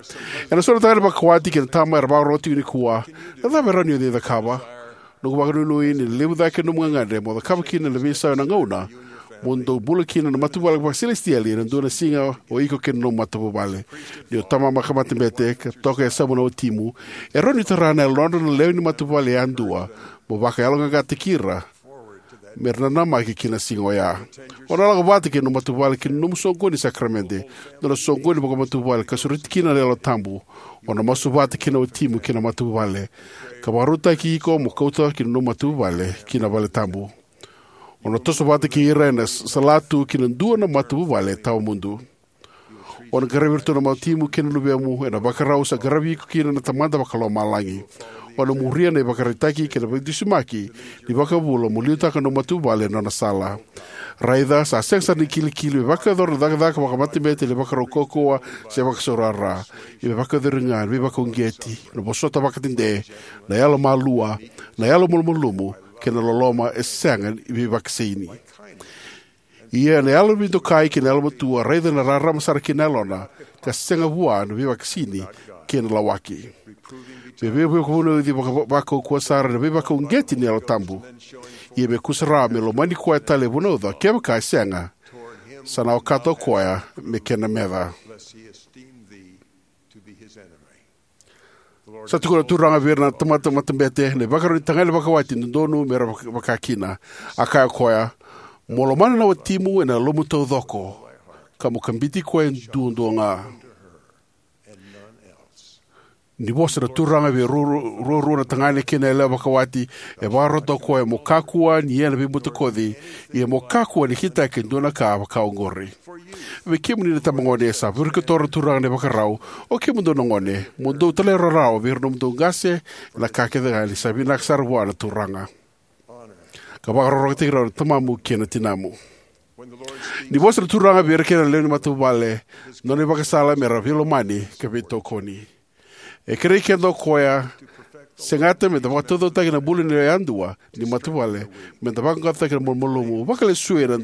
Ena so na tagane vakawati kei na tama era vakarorogo tiko nikua, na cava e rawa ni o cakava? Noqu vakanuinui ni na levu cake na nomu gagadre mo cakava kina na veisau ena gauna mo dou bula kina na matavuvale vakaselesitieli ena dua na siga, o iko kei na nomu matavuvale. Ni o tama vakamatebete ka toka e yasamu na watimu, e rawa ni tara na yalodra na lewe ni matavuvale yadua mo vakayaloqaqataki ira me ra nanamaki ki na siga oya. O na lako vata kei na nomu matavuvale ki na nomu soqoni ni sakaramede, nona soqoni vakamatavuvale ka sureti kina na Yalo Tabu. O na masu vata kei na watimu kei na matavuvale, ka vakarautaki iko mo kauta ki na nomu matavuvale ki na vale tabu. O na toso vata kei ira ena salatu ki na dua na matavuvale tawamudu. O na qaravi iratou na watimu kei na luvemu ena ivakarau sa qaravi iko kina na Tamada Vakalomalagi. O na muria na ivakaraitaki kei na veidusimaki ni iVakabula mo liutaka na nomu matavuvale ena nona sala. Raica, sa sega sara ni kilikili me vakayacora na cakacaka vakamatabete ena ivakarau kaukauwa se vakasaurara. Ia me vakayacori ga ena veivakauqeti, na vosota vakadede, na yalomalua, na yalomalumalumu, kei na loloma e sega ni veivakasaini. Ia ena yalo veidokai kei na yalomatua, raica na rarama sara kina yalona, ka sega vua na veivakasaini kei na lawaki. Me veivakavunauci vaka- vakaukauwa sara ena veivakauqeti ni Yalo Tabu. Ia me kusarawa me lomani koya tale e vunauca, kevaka e sega, sa na okata o koya me kena meca. Sa tukuna na Turaga vei ira na tamata matabete, na ivakarau ni tagane vakawati dodonu me ra vaka- vakakina. A kaya o koya, mo lomana na watimu ena yalomu taucoko, ka mo kabiti koya duadua ga. Ni vosa na Turaga vei ruarua na tagane kei na yalewa vakawati, e vakarota o koya mo kakua ni ia na veibutakoci, ia mo kakua ni kitaka e dua na ka vaka oqori. Vei kemuni na itabagone, sa virikotora na Turaga na ivakarau. O kemudou na gone, mo dou talairawarawa vei ira na nomudou qase ena ka kece ga, ni sa vinaka sara vua na Turaga. Ka vakarokorokotaki rau na tamamu kei na tinamu. Ni vosa na Turaga vei ira kece na lewe ni matavuvale, nona ivakasala me ra veilomani ka veitokoni. E kerei keda o koya, segata me da vakataucokotaka na bula ni yadua ni matavuvale, me da vaqaqacotaka na malumalumu, vakalesui ira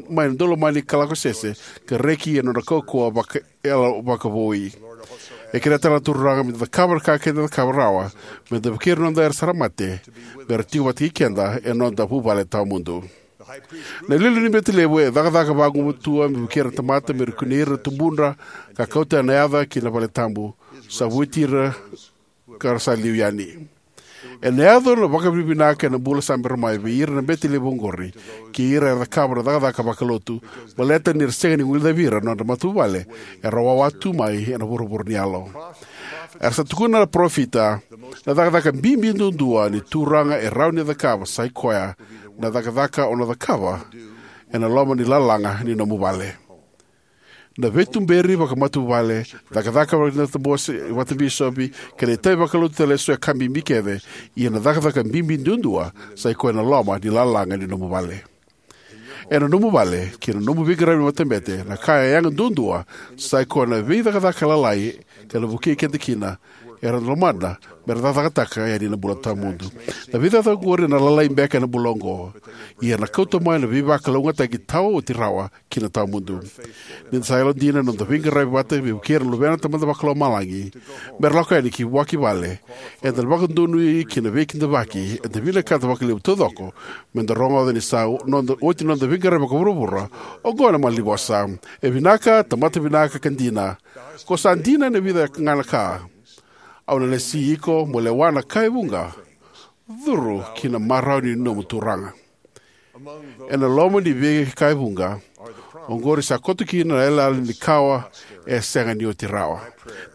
mai na daulomani ka lako sese, ka reki ena nodra kaukauwa vaka- yalo vakavoui. E kerea tale na Turaga me da cakava na ka keda cakava rawa, me da vukei ira na noda era sa mate, me ra tiko vata kei keda ena noda vuvale tawamudu. Na iliuliu ni bete levu e cakacaka vagumatua me vukei ira na tamata me ra kunei ira na tubudra, ka kauta na yaca ki na vale tabu, sa vueti ira ka ra sa liu yani. Ena yaco na vakavinavinaka ena bula sa bera mai vei ira na bete levu oqori, kei ira era cakava na cakacaka vakalotu, baleta ni ra sega ni guilecavi ira na nodra matavuvale era wawa tu mai ena vuravura ni yalo. Era sa tukuna na parofita, na cakacaka bibi duadua ni Turaga e rawa ni cakava sa i koya na cakacaka o na cakava ena loma ni lalaga ni nomu vale. Na veituberi vakamatavuvale, cakacaka vakatabose vakabisopi, kei na itavi vakalotu tale eso e ka bibi kece, ia na cakacaka bibi duadua sa i koya na loma ni lalaga ni nomu vale. Ena nomu vale, kei na nomu veiqaravi ni matabete, na ka e yaga duadua sa i koya na veicakacaka lalai ka na vukei keda kina, era na lomana me ra cakacakataka yani na bula tawamudu. Na veicakacaka oqori ena lalai beka ena bula oqo, ia na kauta mai na veivakalougatataki tawa oti rawa ki na tawamudu. Ni da sa yalodina ena noda veiqaravi vata me vukei ira na luvena na Tamada Vakalomalagi me ra lako yani ki vua ki vale, eda na vakadonui ki na veikidavaki eda vinakata vakalevu taucoko me da rogoca ni sa noda, oti na noda veiqaravi vakavuravura. Oqo na malanivosa: E vinaka, tamata vinaka ka dina. Ko sa dina ena vica ga na ka. Au na lesi iko mo lewa na ka e vuqa. Curu ki na marau ni nomu Turaga. Ena loma ni veika e vuqa oqori sa koto kina na yalayala ni kawa e sega ni oti rawa.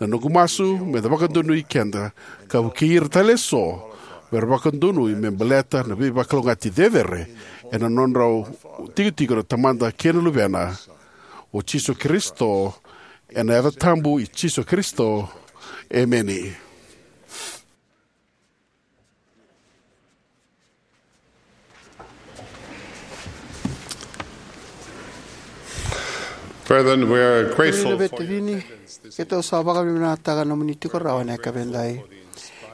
Na noqu masu me da vakadonui keda ka vukei ira tale eso me ra vakadonui me baleta na veivakalougatataki cecere ena nodrau tikotiko na Tamada kei na Luvena, o Jisu Karisito. Ena yaca tabu i Jisu Karisito, emeni. Brethren, we are grateful Kemuni na for your veitacini, attendance this keitou sa vakavinavinakataka na nomuni tiko rawa ena yakavi edai.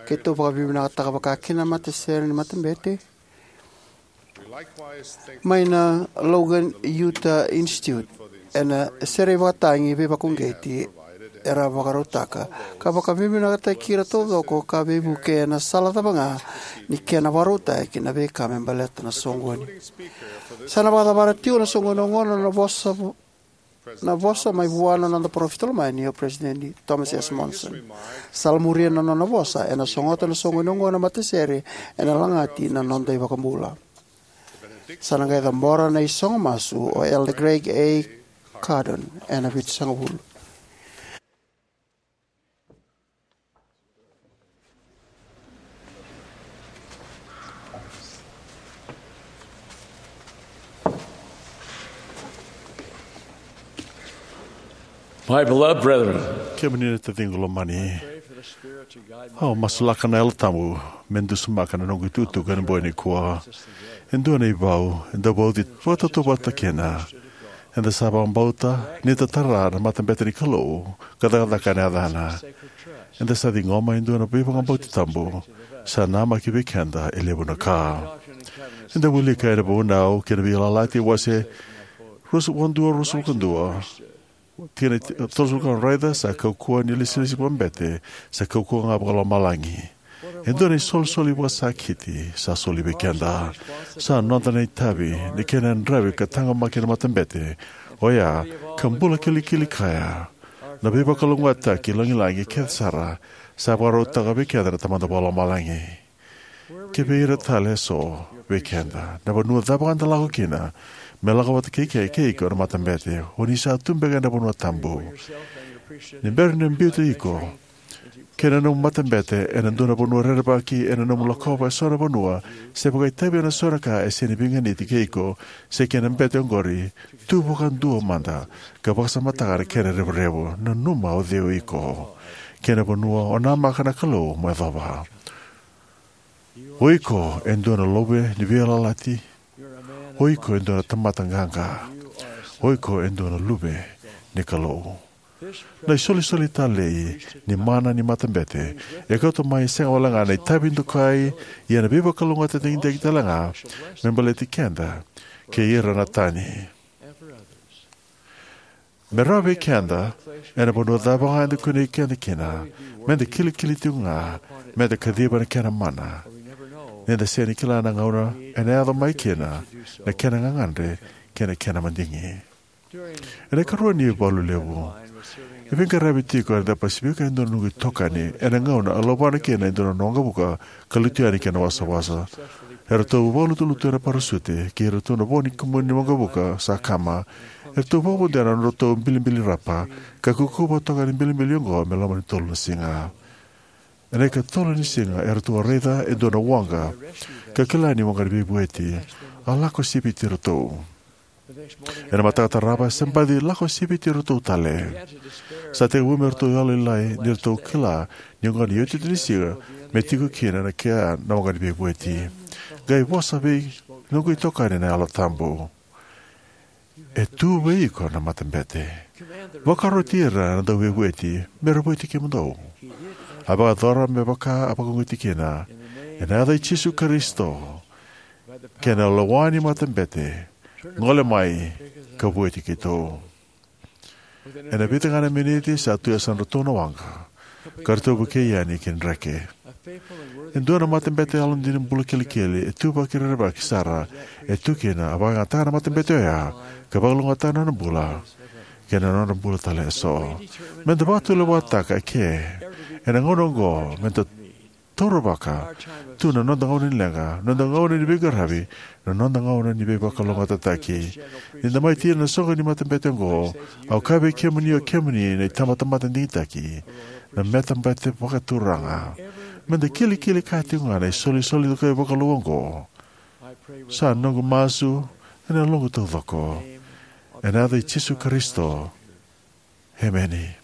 Keitou vakavinavinakataka vakakina na matasere ni matabete mai na Logan Utah Institute ena sere ivakatagi veivakauqeti era vakarautaka, ka vakavinavinakataki ira taucoko ka veivuke ena sala cava ga ni kena vakarautaki na veika me baleta na soqoni. Sa na vakacavara tiko na soqoni oqo na vosa, na vosa mai vua na noda parofita lomani o Peresitedi Thomas S. Monson. Sa la muria na nona vosa, ena sogota na soqoni oqo na matasere ena lagati na noda iVakabula. Sa na qai cabora na isogo masu o Elder Greg A. Cardon ena Vitusagavulu. My beloved brethren, kemuni na taciqu lomani, au masulaka na Yalo Tabu me dusimaka na noqu itukutuku ena bogi nikua. E dua na ivau eda vauci vakatautauvata kina. Eda sa vakabauta ni da tara na matabete ni Kalou ka cakacaka ena yacana. Eda sa ciqoma e dua na veivakabauti tabu. Sa namaki vei keda e levu na ka. Eda wilika ena Vunau kei na Veiyalayalati wase ruasagavulu ka dua, ruasagavulu ka dua, tikina tolusagavulu ka ono: Raica, sa kaukauwa ni ilesilesi vakabete, sa kaukauwa ga vakalomalagi. E dua na isolisoli vakasakiti sa soli vei keda. Sa noda na itavi ni kena yadravi ka taqomaki na matabete oya ka bula kilikili kaya. Na veivakalougatataki lagilagi kece sara sa vakarautaka vei keda na Tamada Vakalomalagi. Kivei ira tale eso vei keda, na vanua cava ga eda lako kina, me lako vata kei, kei, kei iko na matabete, o ni sa tu beka ena vanua tabu. Ni bera ni biuta iko kei na nomu matabete ena dua na vanua rerevaki, ena nomu lakova eso na vanua se vakaitavi ena so na ka e sega ni veiganiti kei iko se kei na bete oqori, tu vakadua mada ka vakasamataka na kena revurevu. Nanuma o cei o iko kei na vanua o namaka na Kalou mo yacova. O iko e dua na luve ni veiyalayalati. O iko e dua na tamata qaqa. O iko e dua na luve ni Kalou. Na isolisoli talei ni mana ni matabete e kauta mai sega wale ga na itavi dokai, ia na veivakalougatataki digitaki tale ga me baleti keda kei ira na tani. Me rawa vei keda, ena vanua cava ga eda kunei keda kina, meda kilikili tiko ga, meda kaciva na kena mana, ni da sega ni kila na gauna ena yaco mai kina na kena gagadre kei na kena madigi. Ena ikarua ni ivalu levu e veiqaravi tiko ena Pasifika e dua na noqu itokani, ena gauna a luvata kina e dua na waqavuka ka lutu yani ki na wasawasa. Eratou vakalutulutu ena parasute, kei iratou na vo ni kumuni ni waqavuka sa kama. Eratou vakavodoya na nodratou ibilibilibi rapa, ka kaukauwa toka na ibilibilibi oqo me loma ni tolu na siga. Ena ikatolu ni siga eratou a raica e dua na waqa, ka kila ni waqa ni veivueti. A lako siviti iratou. Ena mataka tarava se baci lako siviti iratou tale. Sa tekivu me ratou yalolailai ni ratou kila ni oqo na iotioti ni siga me tiko kina na kena waqa ni veivueti. Qai vosa vei noqu itokani na Yalo Tabu: "E tu vei iko na matabete. Vakaroti ira na dauveivueti me ra vueti kemudou." A vakayacora me vaka a vakauqeti kina. Ena yaca i Jisu Karisito kei na lewa ni matabete, gole mai ka vueti keitou. Ena vica ga na miniti sa tu e yasadratou na waqa, ka ratou vukei yani ki dreke. E dua na matabete yalodina bula kilikili, e ituvaki rerevaki sara, e tu kina, a vakayagataka na matabete oya ka vakalougatataka na nona bula kei na nodra bula tale eso. Meda vakatulewataka eke ena gauna oqo, meda tauravaka tu na noda gauna ni leqa, noda gauna ni veiqaravi, na noda gauna ni veivakalougatataki. Ni da mai tiko ena soqo ni matabete oqo, au kaya vei kemuni, o kemuni na itabatamata digitaki, na matabete vakaturaga, meda kilikili kaya tiko ga na isolisoli dokai vakalou oqo. Sa noqu masu ena yaloqu taucoko, ena yaca i Jisu Karisito. Emeni.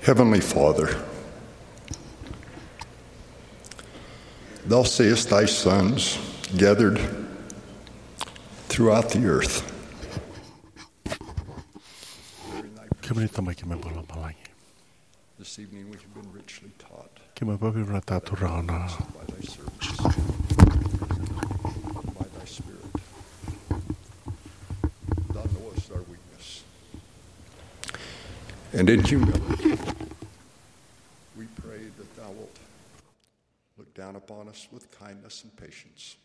Heavenly Father, thou seest thy sons gathered throughout the earth. Kemuni Tamai, keimami vakalomalagi. This evening we have been richly taught. Keimami vakavinavinakataka Turaga na by thy servants, by thy Spirit. Thou knowest our weakness. And in humility, we pray that thou wilt look down upon us with kindness and patience.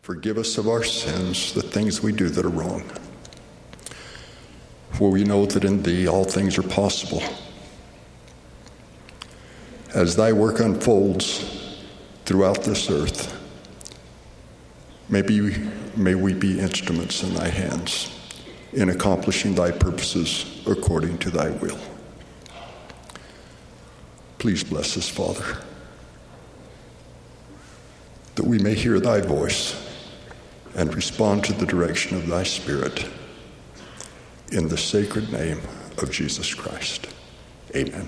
Forgive us of our sins, the things we do that are wrong. For we know that in thee all things are possible. As thy work unfolds throughout this earth, may, be, may we be instruments in thy hands in accomplishing thy purposes according to thy will. Please bless us, Father, that we may hear thy voice and respond to the direction of thy Spirit. In the sacred name of Jesus Christ, amen.